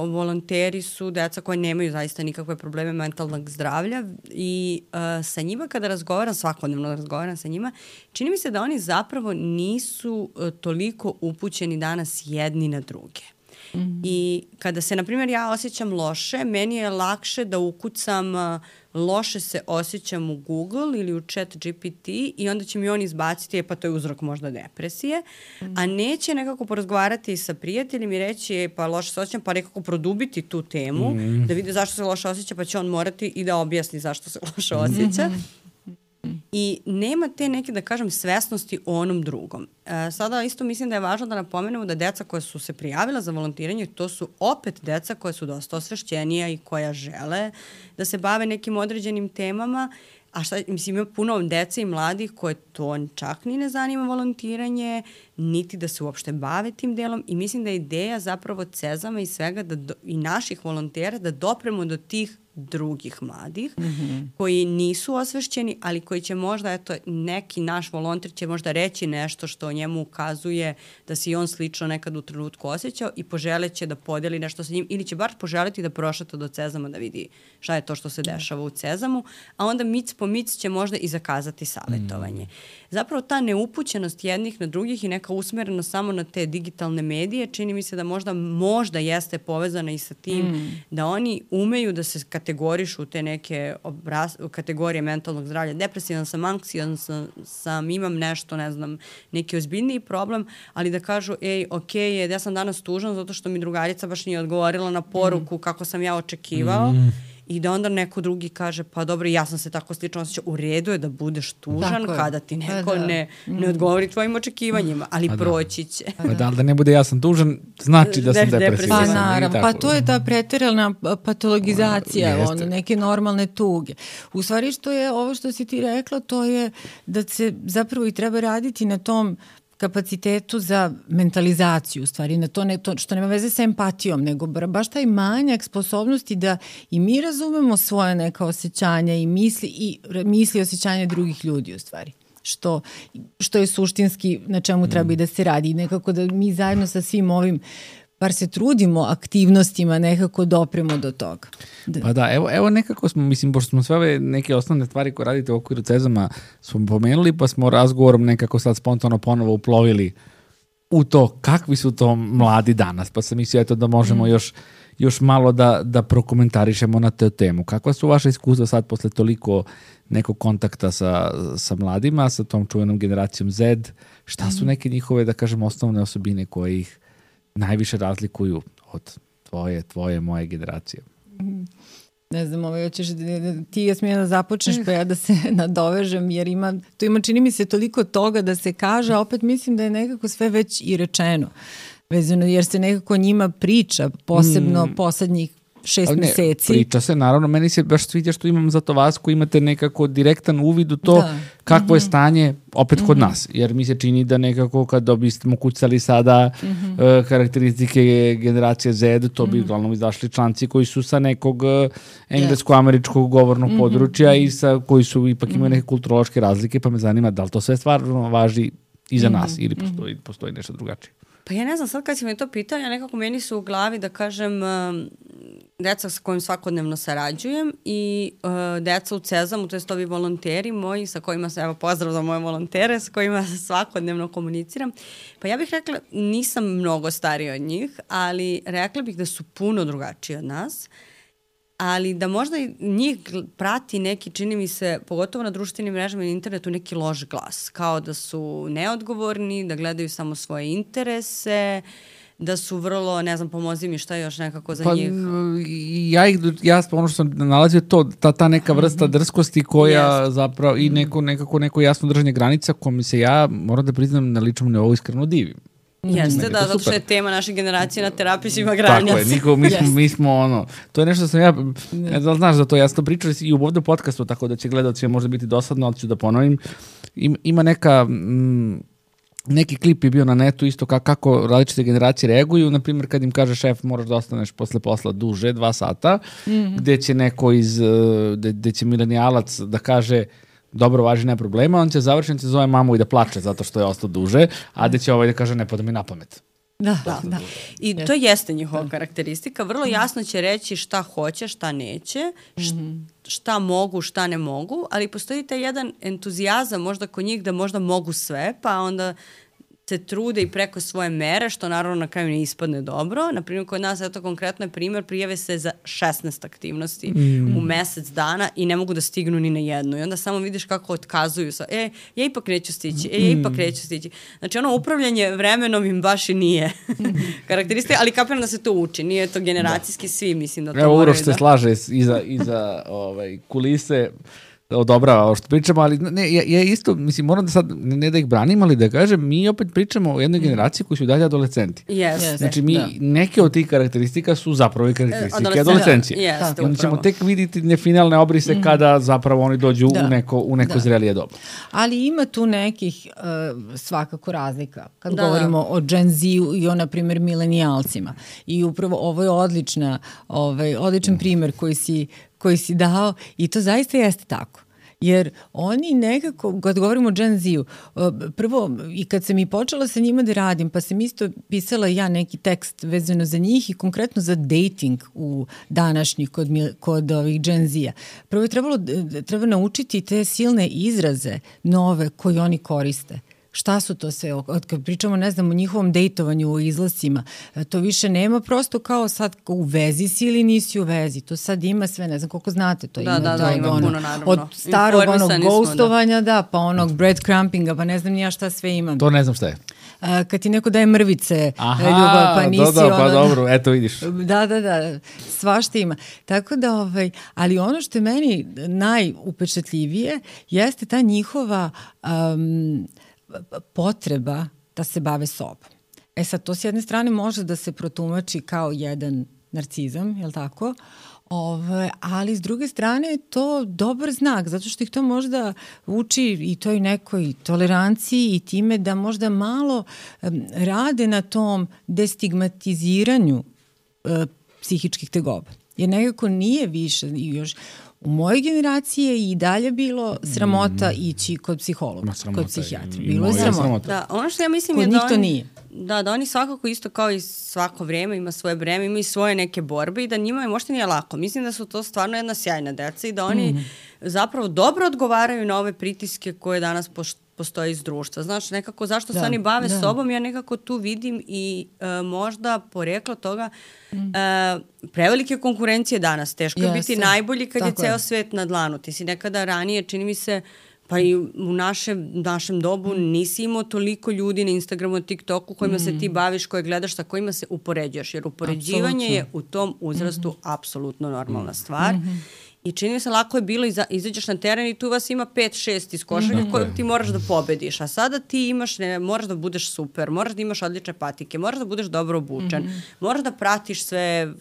Volonteri su deca koji nemaju zaista nikakve probleme mentalnog zdravlja i sa njima kada svakodnevno razgovaram sa njima, čini mi se da oni zapravo nisu toliko upućeni danas jedni na druge. I kada se, na primjer, ja osjećam loše, meni je lakše da ukucam loše se osjećam u Google ili u Chat GPT i onda će mi on izbaciti, pa to je uzrok možda depresije, a neće nekako porazgovarati sa prijateljem i reći, pa loše se osjećam, pa nekako produbiti tu temu, da vide zašto se loše osjeća, pa će on morati i da objasni zašto se loše osjeća. I nema te neke, da kažem, svesnosti o onom drugom. Sada isto mislim da je važno da napomenemo da deca koja su se prijavila za volontiranje, to su opet deca koja su dosta osvešćenija i koja žele da se bave nekim određenim temama, a mislim, ima puno dece i mladih koje to čak ni ne zanima volontiranje, niti da se uopšte bave tim delom i mislim da je ideja zapravo CEZAM-a i svega i naših volontera da dopremo do tih drugih mladih koji nisu osvešćeni, ali koji će možda, eto, neki naš volonter će možda reći nešto što njemu ukazuje da se i on slično nekad u trenutku osjećao i poželeće da podeli nešto sa njim ili će bar poželiti da prošeta do CEZAM-a da vidi šta je to što se dešava u CEZAM-u, a onda mic po mic će možda i zakazati savjetovanje. Zapravo ta neupućenost jednih na drugih i neka usmerenost samo na te digitalne medije, čini mi se da možda jeste povezana i sa tim da oni umeju da se kategorišu u te neke kategorije mentalnog zdravlja. Depresivan sam, anksijan sam, imam nešto, ne znam, neki ozbiljniji problem, ali da kažu, ja sam danas tužan zato što mi drugarica baš nije odgovorila na poruku kako sam ja očekivao. I da onda neko drugi kaže, pa dobro, ja sam se tako slično osjećao, u redu je da budeš tužan kada ti neko ne odgovori tvojim očekivanjima, ali proći će. Da ne bude ja sam tužan, znači da sam depresivan. Pa naravno, pa to je ta preteralna patologizacija, neke normalne tuge. U stvari što je ovo što si ti rekla, to je da se zapravo i treba raditi na tom kapacitetu za mentalizaciju, u stvari, na to što nema veze sa empatijom, nego baš taj manjak sposobnosti da i mi razumemo svoje neka osjećanja i misli osjećanja drugih ljudi, u stvari. Što je suštinski na čemu treba i da se radi. I nekako da mi zajedno sa svim ovim bar se trudimo aktivnostima nekako dopremo do toga. Pa da, evo nekako smo, mislim, pošto smo sve ove neke osnovne stvari koje radite u okviru CEZAM-a smo pomenuli, pa smo razgovorom nekako sad spontano ponovo uplovili u to kakvi su to mladi danas, pa sam mislio da možemo još malo da prokomentarišemo na tu temu. Kakva su vaše iskustva sad posle toliko nekog kontakta sa mladima, sa tom čuvenom generacijom Z? Šta su neke njihove, da kažem, osnovne osobine koje ih najviše razlikuju od tvoje, moje generacije? Ne znam, hoćeš ti Jasmina da započneš pa ja da se nadovežem, jer tu ima čini mi se toliko toga da se kaže, a opet mislim da je nekako sve već i rečeno vezano, jer se nekako njima priča, posebno poslednjih 6 meseci. Priča se, naravno, meni se baš sviđa što imam zato vas koji imate nekako direktan uvid u to kakvo je stanje opet kod nas, jer mi se čini da nekako kad bismo kucali sada karakteristike generacije Z, to bi uglavnom izašli članci koji su sa nekog englesko-američkog govornog područja i koji su ipak imaju neke kulturološke razlike, pa me zanima da li to sve stvarno važi i za nas ili postoji nešto drugačije. Pa ja ne znam, sad kad si me to pitao, ja nekako meni su u glavi, da kažem, deca sa kojim svakodnevno sarađujem i deca u CEZAM-u, to jest ovi volonteri moji sa kojima se, evo pozdrav za moje volontere, sa kojima svakodnevno komuniciram. Pa ja bih rekla, nisam mnogo starija od njih, ali rekla bih da su puno drugačiji od nas, ali da možda njih prati neki, čini mi se, pogotovo na društvenim mrežama i internetu, neki loš glas. Kao da su neodgovorni, da gledaju samo svoje interese, da su vrlo, ne znam, pomozi mi šta je još nekako za njih. Ja ono što sam nalazio to, ta neka vrsta drskosti koja zapravo i neko jasno držanje granica kojom se ja, moram da priznam, na ličnom nivou iskreno divim. Jeste, da, zato što je tema naše generacije na terapiji svima granica. Tako je, mi smo ono, to je nešto što sam ja, ne znam, znaš za to, ja sam to pričao i u ovdje podcastu, tako da će gledalci možda biti dosadno, ali ću da ponovim. Ima neki klip je bio na netu isto kako različite generacije reaguju, na primjer kad im kaže šef moraš da ostaneš posle posla duže, 2 sata, gde će neko gde će milenijalac da kaže dobro, važi, nema problema, on će završiti, zove mamu i da plače zato što je ostao duže, a gde će da kaže ne pada mi na pamet. Da. I to jeste njihova karakteristika. Vrlo jasno će reći šta hoće, šta neće, šta mogu, šta ne mogu, ali postoji taj jedan entuzijazam možda kod njih da možda mogu sve, pa onda se trude i preko svoje mere, što naravno na kraju ne ispadne dobro. Naprimjer, kod nas, eto konkretno je primjer, prijave se za 16 aktivnosti u mesec dana i ne mogu da stignu ni na jednu. I onda samo vidiš kako otkazuju sa, ja ipak neću stići. Znači, ono upravljanje vremenom im baš i nije karakteristika, ali kapiram da se to uči. Nije to generacijski, svi mislim da to moraju da... Evo, Uroš se slaže iza kulise, odobrava ovo što pričamo, ali ja isto, mislim, moram da sad, ne da ih branim, ali da kažem, mi opet pričamo o jednoj generaciji koji su dalje adolescenti. Yes. Znači, neke od tih karakteristika su zapravo i karakteristike adolescencije. Jeste, I onda ćemo tek vidjeti finalne obrise kada zapravo oni dođu u neko zrelije doba. Ali ima tu nekih svakako razlika. Kad govorimo o Gen Z-u i o, na primjer, milenijalcima. I upravo ovo je odličan primjer koji si dao i to zaista jeste tako. Jer oni nekako, kad govorimo o Gen Z-u, prvo i kad sam i počela sa njima da radim, pa sam isto pisala ja neki tekst vezano za njih i konkretno za dating u današnjih kod ovih Gen Z-a. Prvo je treba naučiti te silne izraze nove koje oni koriste. Šta su to sve? Kad pričamo, ne znam, o njihovom dejtovanju, o izlascima, to više nema prosto kao sad u vezi si ili nisi u vezi. To sad ima sve, ne znam koliko znate. To ima puno, naravno. Od starog ghostovanja, pa onog breadcrumpinga, pa ne znam nija šta sve imam. To ne znam šta je. Kad ti neko daje mrvice, ljubav, pa nisi pa dobro, eto vidiš. Da, svašta ima. Tako da, ali ono što je meni najupečatljivije jeste ta njihova potreba da se bave sobom. Sad, to s jedne strane može da se protumači kao jedan narcizam, je li tako? Ali s druge strane je to dobar znak, zato što ih to možda uči i toj nekoj toleranciji i time da možda malo rade na tom destigmatiziranju psihičkih tegoba. Jer nekako nije više i još u mojoj generaciji je i dalje bilo sramota ići kod psihologa, kod psihijatra. Bilo je sramota. Da, ono što ja mislim kod je njih to nije. Da oni svakako isto kao i svako vrijeme ima svoje breme, ima i svoje neke borbe i da njima možda nije lako. Mislim da su to stvarno jedna sjajna deca i da oni zapravo dobro odgovaraju na ove pritiske koje danas postoje iz društva. Znaš, nekako zašto se oni bave sobom, ja nekako tu vidim i možda poreklo toga prevelike konkurencije danas. Teško je biti najbolji kad je ceo svet na dlanu. Ti si nekada ranije, čini mi se, pa i u našem dobu nisi imao toliko ljudi na Instagramu, TikToku kojima se ti baviš, koje gledaš, sa kojima se upoređuješ. Jer upoređivanje je u tom uzrastu apsolutno normalna stvar. I čini mi se lako je bilo izađeš na teren i tu vas ima 5-6 iz košarke koje ti moraš da pobediš. A sada ti moraš da budeš super, moraš da imaš odlične patike, moraš da budeš dobro obučen, moraš da pratiš sve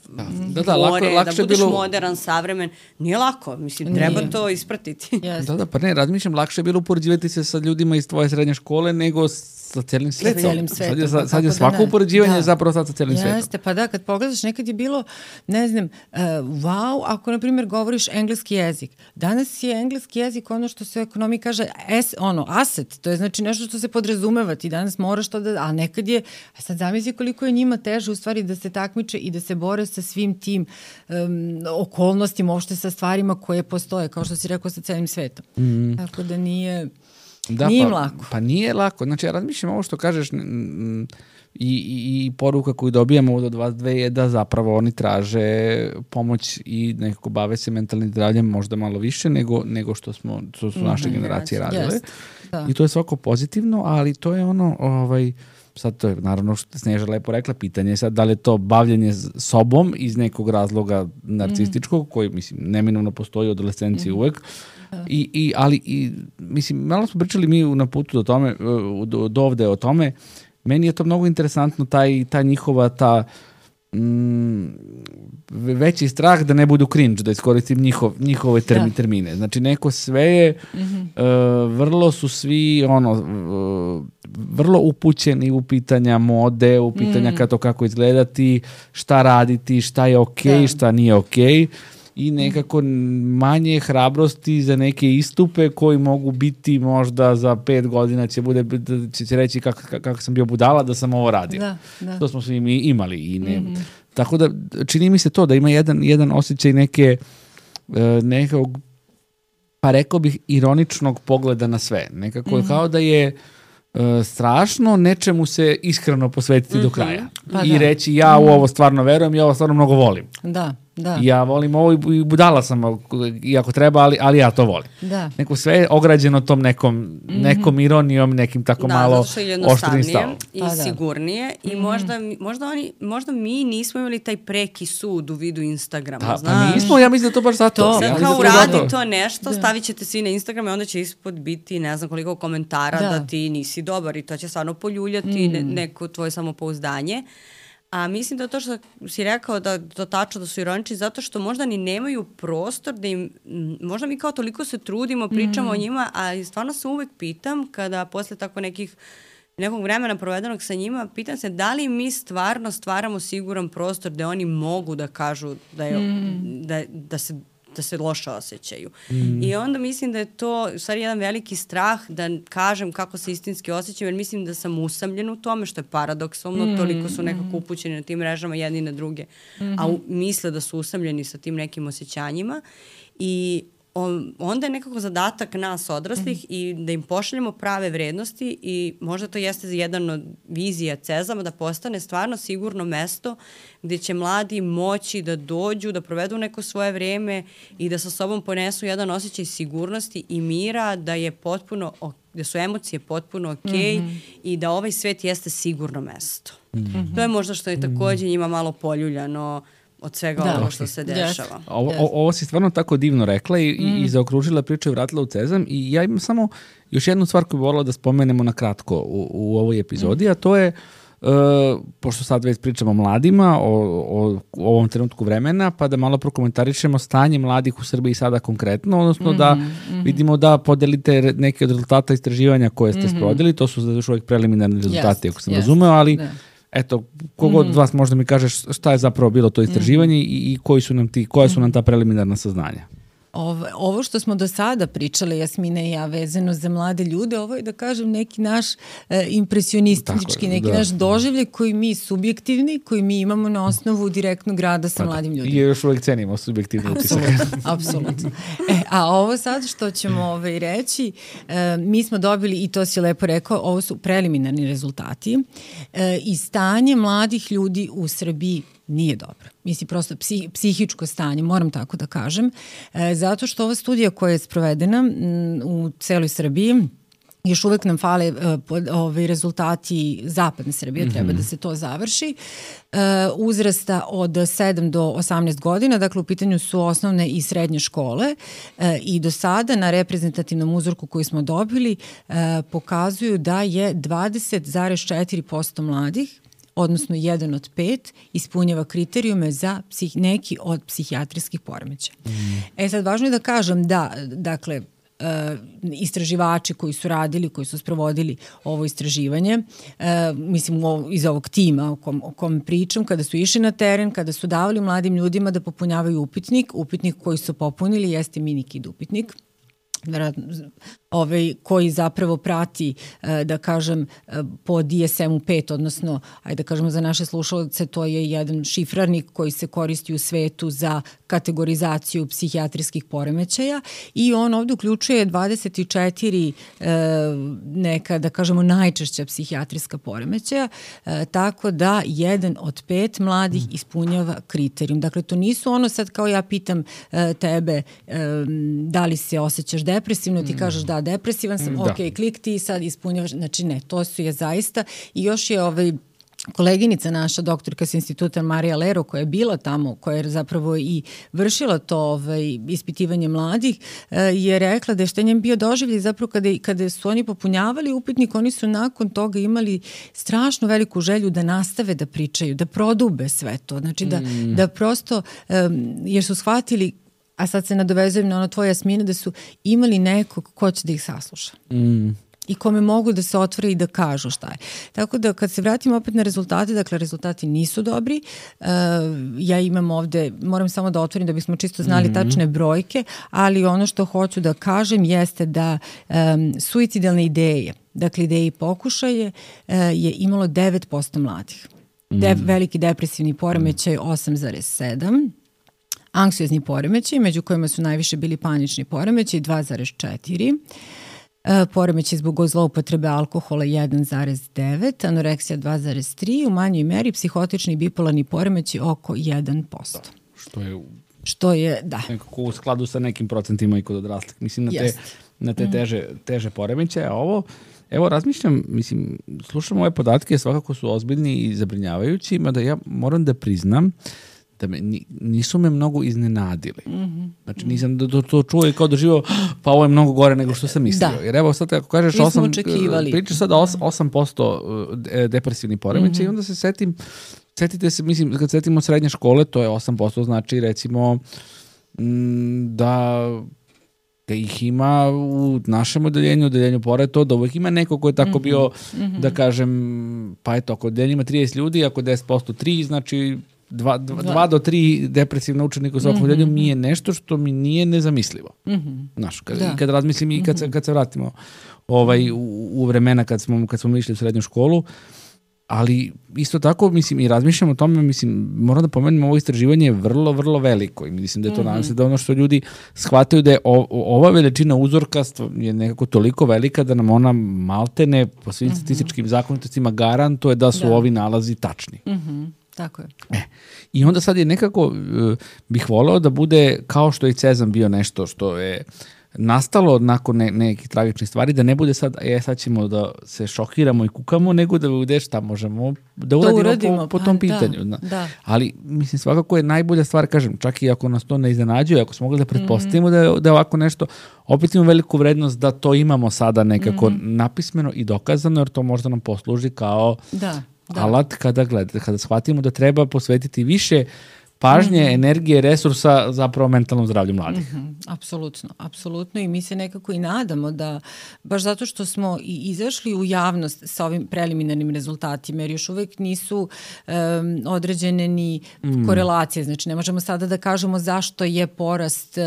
gore, da budeš modern, savremen. Nije lako, mislim, treba to ispratiti. Pa ne, razmišljam, lakše je bilo upoređivati se sa ljudima iz tvoje srednje škole nego sa cijelim svetom. Sad je svako upoređivanje zapravo sad sa cijelim svetom. Jeste, pa da, kad pogledaš, nekad je bilo, ne znam, wow, ako, na primjer, govoriš engleski jezik. Danas je engleski jezik ono što se u ekonomiji kaže asset, to je znači nešto što se podrazumeva. Ti danas moraš to a nekad je, sad zamisli koliko je njima teže u stvari da se takmiče i da se bore sa svim tim okolnostima, uopšte sa stvarima koje postoje, kao što si rekao, sa cijelim svetom. Tako da nije im lako. Pa nije lako. Znači, ja razmišljam ovo što kažeš i poruka koju dobijamo od vas dve je da zapravo oni traže pomoć i nekako bave se mentalnim zdravljem možda malo više nego što su naše generacije radile. I to je svako pozitivno, ali to je ono, sad to je naravno što Sneža lepo rekla, pitanje je sad da li je to bavljenje sobom iz nekog razloga narcističkog, koji mislim neminovno postoji u adolescenciji uvek, ali mislim, malo smo pričali mi na putu do ovde o tome, meni je to mnogo interesantno, ta njihova, veći strah da ne budu cringe, da iskoristim njihove termine. Znači, neko sve je, vrlo su svi, vrlo upućeni u pitanja mode, u pitanja kako izgledati, šta raditi, šta je okej, šta nije okej. I nekako manje hrabrosti za neke istupe koji mogu biti možda za 5 godina će reći kako sam bio budala da sam ovo radio. Da. To smo svi mi imali. I tako da čini mi se to da ima jedan osjećaj nekog, pa rekao bih, ironičnog pogleda na sve. Nekako kao da je strašno nečemu se iskreno posvetiti do kraja. I reći ja u ovo stvarno verujem, ja ovo stvarno mnogo volim. Da. Ja volim ovo i budala sam, iako treba, ali ja to volim. Neko sve je ograđeno tom nekom ironijom, nekim tako malo oštrim stavom. I sigurnije. I možda mi nismo imali taj preki sud u vidu Instagrama. Pa nismo, ja mislim da to baš zato. Sad kao uradi to nešto, stavit ćete svi na Instagram i onda će ispod biti ne znam koliko komentara da ti nisi dobar i to će stvarno poljuljati neko tvoje samopouzdanje. A mislim da to što si rekao da tačno da su ironični zato što možda ni nemaju prostor da im, možda mi kao toliko se trudimo, pričamo o njima, a stvarno se uvek pitam kada posle tako nekog vremena provedenog sa njima, pitam se da li mi stvarno stvaramo siguran prostor da oni mogu da kažu da se loše osjećaju. I onda mislim da je to u stvari jedan veliki strah da kažem kako se istinski osjećam, jer mislim da sam usamljen u tome, što je paradoksalno, toliko su nekako upućeni na tim mrežama jedni na druge, a misle da su usamljeni sa tim nekim osjećanjima i onda je nekako zadatak nas odraslih i da im pošaljemo prave vrednosti i možda to jeste jedan od vizija CEZAM da postane stvarno sigurno mesto gdje će mladi moći da dođu, da provedu neko svoje vreme i da sa sobom ponesu jedan osjećaj sigurnosti i mira, da su emocije potpuno okej i da ovaj svet jeste sigurno mesto. To je možda što je također njima malo poljuljano od svega ovo što se dešava. Ovo si stvarno tako divno rekla i zaokružila priču i vratila u CEZAM i ja imam samo još jednu stvar koju bi volila da spomenemo na kratko u ovoj epizodi, a to je, pošto sad već pričamo o mladima, o ovom trenutku vremena, pa da malo prokomentarišemo stanje mladih u Srbiji sada konkretno, odnosno da vidimo da podelite neke od rezultata istraživanja koje ste sprovodili, to su još uvijek preliminarni rezultati, ako sam razumeo, ali eto, kogod od vas možda mi kaže šta je zapravo bilo to istraživanje i koja su nam ta preliminarna saznanja? Ovo što smo do sada pričali, Jasmina i ja, vezano za mlade ljude, ovo je da kažem neki naš impresionistički, neki naš doživljaj koji mi subjektivni, koji mi imamo na osnovu direktnog rada sa mladim ljudima. I još uvijek cenimo subjektivni utisak. Apsolutno. A ovo sad što ćemo reći, mi smo dobili, i to si lepo rekao, ovo su preliminarni rezultati i stanje mladih ljudi u Srbiji nije dobro. Mislim, prosto psihičko stanje, moram tako da kažem, zato što ova studija koja je sprovedena u celoj Srbiji, još uvek nam fale rezultati zapadne Srbije, treba da se to završi, uzrasta od 7 do 18 godina, dakle u pitanju su osnovne i srednje škole i do sada na reprezentativnom uzorku koji smo dobili pokazuju da je 20,4% mladih, odnosno 1 od 5, ispunjava kriterijume za neki od psihijatrijskih poremećaja. Sad, važno je da kažem da, dakle, istraživači koji su radili, koji su sprovodili ovo istraživanje, mislim iz ovog tima o kom pričam, kada su išli na teren, kada su davali mladim ljudima da popunjavaju upitnik koji su popunili jeste minikid upitnik, koji zapravo prati, da kažem, po DSM-u 5, odnosno, ajde da kažemo za naše slušalce, to je jedan šifrarnik koji se koristi u svetu za kategorizaciju psihijatrijskih poremećaja i on ovdje uključuje 24 neka, da kažemo, najčešća psihijatrijska poremećaja, tako da 1 od 5 mladih ispunjava kriterijum. Dakle, to nisu ono sad kao ja pitam tebe da li se osjećaš depresivno, ti kažeš da, depresivan sam, ok, klik ti sad ispunjavaš, znači ne, to su je zaista i još je koleginica naša, doktorka sa instituta Marija Lero, koja je bila tamo, koja je zapravo i vršila to ispitivanje mladih, je rekla da je šta njem bio doživljaj zapravo kada su oni popunjavali upitnik, oni su nakon toga imali strašno veliku želju da nastave da pričaju, da prodube sve to. Znači da prosto, jer su shvatili, a sad se nadovezujem na ono tvoje, Jasmine, da su imali nekog ko će da ih sasluša. I kome mogu da se otvore i da kažu šta je. Tako da kad se vratimo opet na rezultate, dakle rezultati nisu dobri. Ja imam ovde, moram samo da otvorim da bismo čisto znali tačne brojke, ali ono što hoću da kažem jeste da suicidalne ideje, dakle ideje i pokušaje, je imalo 9% mladih. Veliki depresivni poremećaj 8,7%. Anksiozni poremećaj, među kojima su najviše bili panični poremećaj 2,4%. Poremećaj zbog zloupotrebe alkohola 1,9%, anoreksija 2,3%, u manjoj meri psihotični i bipolarni poremećaj oko 1%. Što je, da. Nekako u skladu sa nekim procentima i kod odraslih. Mislim, na te teže poremećaje. A ovo, evo, razmišljam, mislim, slušam ove podatke, svakako su ozbiljni i zabrinjavajući, mada ja moram da priznam da nisu me mnogo iznenadili. Znači nisam to čuo i kao doživao, pa ovo je mnogo gore nego što sam mislio. Da. Jer evo sad ako kažeš pričaš sad 8% depresivni poremećaj i onda se setite se, mislim, kad setimo srednje škole, to je 8%, znači recimo da ih ima u našem odeljenju pored to, da uvek ima neko ko je tako bio, da kažem, pa eto, ako odeljenje ima 30 ljudi, ako 10% 3, znači 2 do 3 depresivna učenika u svakom odeljenju mi je nešto što mi nije nezamislivo. Znaš, kad razmislim i kad se vratimo u vremena kad smo išli u srednju školu, ali isto tako, mislim, i razmišljam o tome, mislim, moram da pomenem, ovo istraživanje je vrlo, vrlo veliko i mislim da je to, nadam se, da ono što ljudi shvataju da je ova veličina uzorka je nekako toliko velika da nam ona maltene po svim statističkim zakonitostima garantuje da su ovi nalazi tačni. Tako je. I onda sad je nekako, bih voleo da bude kao što je Cezam bio nešto što je nastalo nakon nekih tragičnih stvari, da ne bude sad, sad ćemo da se šokiramo i kukamo, nego da bude šta možemo da uradimo po tom pitanju. Da. Ali, mislim, svakako je najbolja stvar, kažem, čak i ako nas to ne iznenađuje, ako smo mogli da pretpostavimo da je ovako nešto, opet imamo veliku vrednost da to imamo sada nekako napismeno i dokazano, jer to možda nam posluži kao alat kada shvatimo da treba posvetiti više pažnje, energije, resursa zapravo mentalnom zdravlju mladih. Apsolutno i mi se nekako i nadamo da, baš zato što smo i izašli u javnost sa ovim preliminarnim rezultatima, jer još uvek nisu određene ni korelacije, znači ne možemo sada da kažemo zašto je porast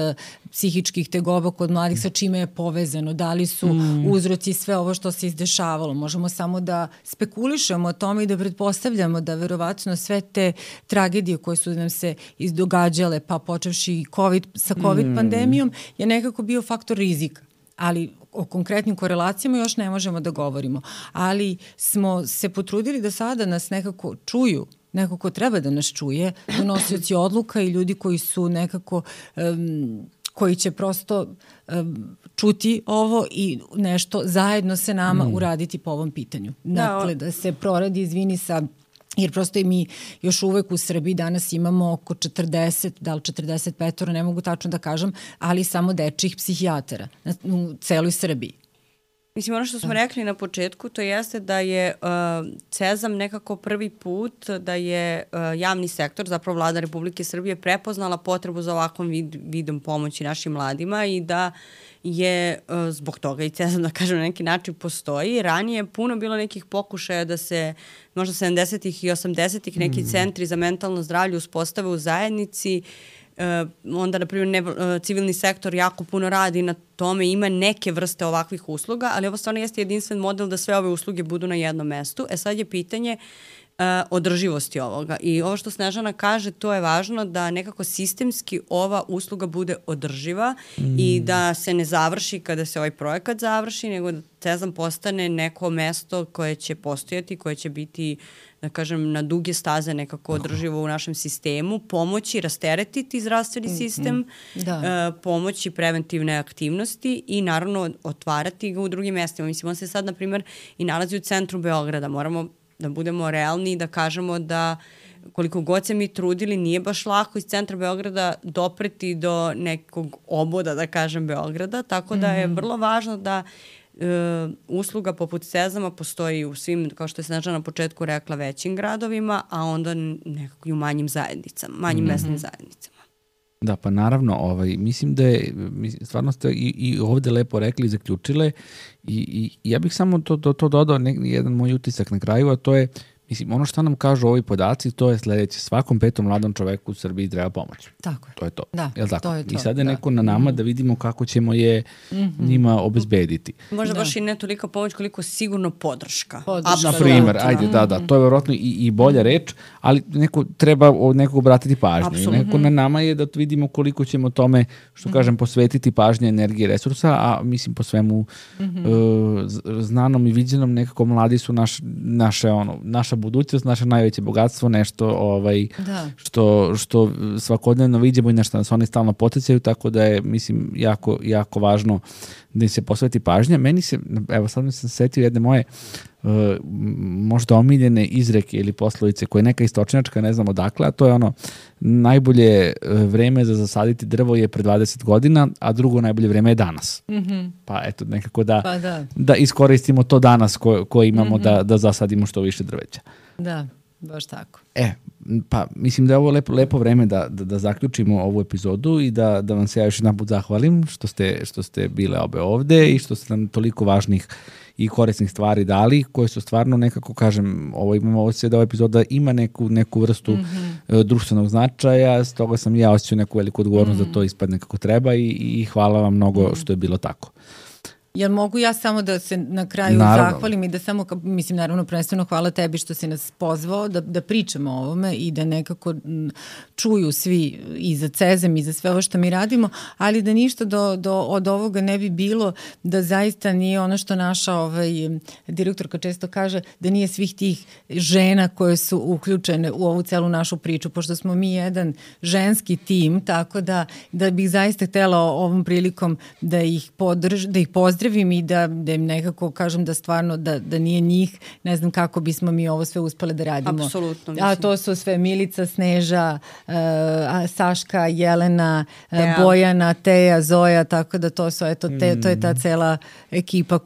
psihičkih tegoba kod mladih, sa čime je povezano, da li su uzroci sve ovo što se izdešavalo. Možemo samo da spekulišemo o tome i da pretpostavljamo da verovatno sve te tragedije koje su nam se izdogađale, pa počevši sa COVID pandemijom, je nekako bio faktor rizika. Ali o konkretnim korelacijama još ne možemo da govorimo. Ali smo se potrudili da sada nas nekako čuju, neko ko treba da nas čuje, donosioci odluka i ljudi koji su nekako koji će prosto čuti ovo i nešto zajedno se nama uraditi po ovom pitanju. Dakle, da se proradi, izvini, jer prosto i mi još uvek u Srbiji danas imamo oko 40, da li 45, ne mogu tačno da kažem, ali samo dečjih psihijatara u celoj Srbiji. Mislim, ono što smo rekli na početku, to jeste da je Cezam nekako prvi put da je javni sektor, zapravo Vlada Republike Srbije, prepoznala potrebu za ovakvom vidom pomoći našim mladima i da je zbog toga i Cezam, da kažem, na neki način postoji. Ranije je puno bilo nekih pokušaja da se možda 70-ih i 80-ih neki centri za mentalno zdravlje uspostave u zajednici. Onda, na primjer, civilni sektor jako puno radi na tome, ima neke vrste ovakvih usluga, ali ovo stvarno jeste jedinstven model da sve ove usluge budu na jednom mestu. Sad je pitanje održivosti ovoga. I ovo što Snežana kaže, to je važno da nekako sistemski ova usluga bude održiva i da se ne završi kada se ovaj projekat završi, nego da Cezam postane neko mesto koje će postojati, koje će biti, da kažem, na duge staze nekako održivo u našem sistemu, pomoći rasteretiti zdravstveni sistem, pomoći preventivne aktivnosti i naravno otvarati ga u drugim mestima. Mislim, on se sad, na primjer, i nalazi u centru Beograda. Moramo Da budemo realni i da kažemo da koliko god se mi trudili, nije baš lako iz centra Beograda dopreti do nekog oboda, da kažem, Beograda, tako da je vrlo važno da usluga poput Sezama postoji u svim, kao što je Snežana na početku rekla, većim gradovima, a onda nekako i u manjim zajednicama, manjim mesnim zajednicama. Da, pa naravno, mislim da je, stvarno ste i ovde lepo rekli i zaključile i ja bih samo to dodao jedan moj utisak na kraju, a to je, mislim, ono što nam kažu ovi podaci, to je sledeće, svakom 5. mladom čoveku u Srbiji treba pomoć. Tako je. To je to. Da, jel tako? to je to. I sada je neko na nama da vidimo kako ćemo je njima obezbediti. Možda baš i ne toliko pomoć koliko sigurno podrška. Na primer, ajde, da, to je verovatno i bolja reč, ali treba nekog obratiti pažnju. Apsolutno. Neko na nama je da vidimo koliko ćemo tome, što kažem, posvetiti pažnje, energije, resursa, a mislim po svemu znanom i viđenom nekako mladi su naša budućnost, naše najveće bogatstvo, nešto što svakodnevno vidimo i na što nas oni stalno poticaju, tako da je, mislim, jako, jako važno da im se posveti pažnja. Meni se, evo sad mi sam setio jedne moje možda omiljene izreke ili poslovice koje je neka istočnjačka, ne znam odakle, a to je najbolje vreme za zasaditi drvo je pre 20 godina, a drugo najbolje vreme je danas. Pa eto, nekako da iskoristimo to danas koje imamo da zasadimo što više drveća. Da, baš tako. Pa mislim da je ovo lepo vreme da zaključimo ovu epizodu i da vam se ja još jedan put zahvalim što ste bile obe ovde i što ste nam toliko važnih i korisnih stvari dali, koje su stvarno nekako, kažem, imamo osjećaj da ova epizoda ima neku vrstu društvenog značaja, stoga sam ja osjećao neku veliku odgovornost da to ispadne kako treba i hvala vam mnogo što je bilo tako. Jel mogu ja samo da se na kraju zahvalim i da samo, mislim, naravno, prvenstveno hvala tebi što si nas pozvao da pričamo o ovome i da nekako čuju svi i za Cezem i za sve ovo što mi radimo, ali da ništa od ovoga ne bi bilo da zaista nije ono što naša direktorka često kaže, da nije svih tih žena koje su uključene u ovu celu našu priču, pošto smo mi jedan ženski tim, tako da bih zaista htela ovom prilikom da ih pozdravim i da im nekako kažem da stvarno da nije njih, ne znam kako bismo mi ovo sve uspele da radimo. Apsolutno. Mislim. A to su sve Milica, Sneža, Saška, Jelena, Bojana, Teja, Zoja, tako da to su, to je ta cela ekipa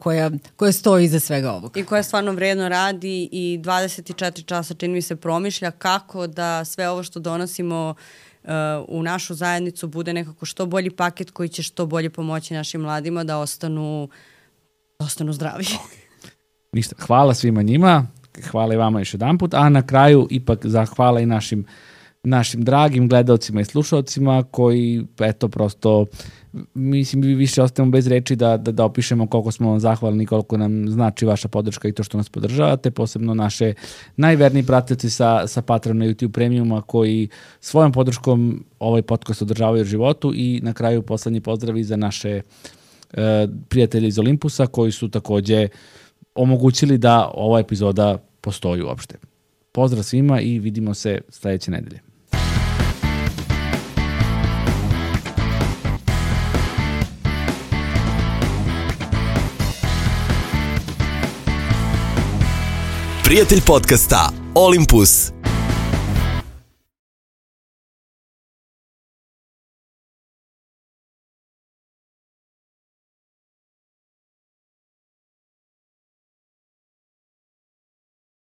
koja stoji iza svega ovoga. I koja stvarno vredno radi i 24 časa čini mi se promišlja kako da sve ovo što donosimo u našu zajednicu bude nekako što bolji paket koji će što bolje pomoći našim mladima da ostanu zdravi. Ništa, hvala svima njima, hvala i vama još jedan put, a na kraju ipak zahvala i našim dragim gledalcima i slušalcima koji, eto, prosto, mislim, više ostajemo bez reči da opišemo koliko smo vam zahvalni, koliko nam znači vaša podrška i to što nas podržavate, posebno naše najverniji pratioci sa Patrona YouTube Premiuma koji svojom podrškom ovaj podcast održavaju u životu i na kraju poslednji pozdravi za naše prijatelje iz Olimpusa koji su takođe omogućili da ova epizoda postoji uopšte. Pozdrav svima i vidimo se sledeće nedelje. Prijatelj podcasta Olympus.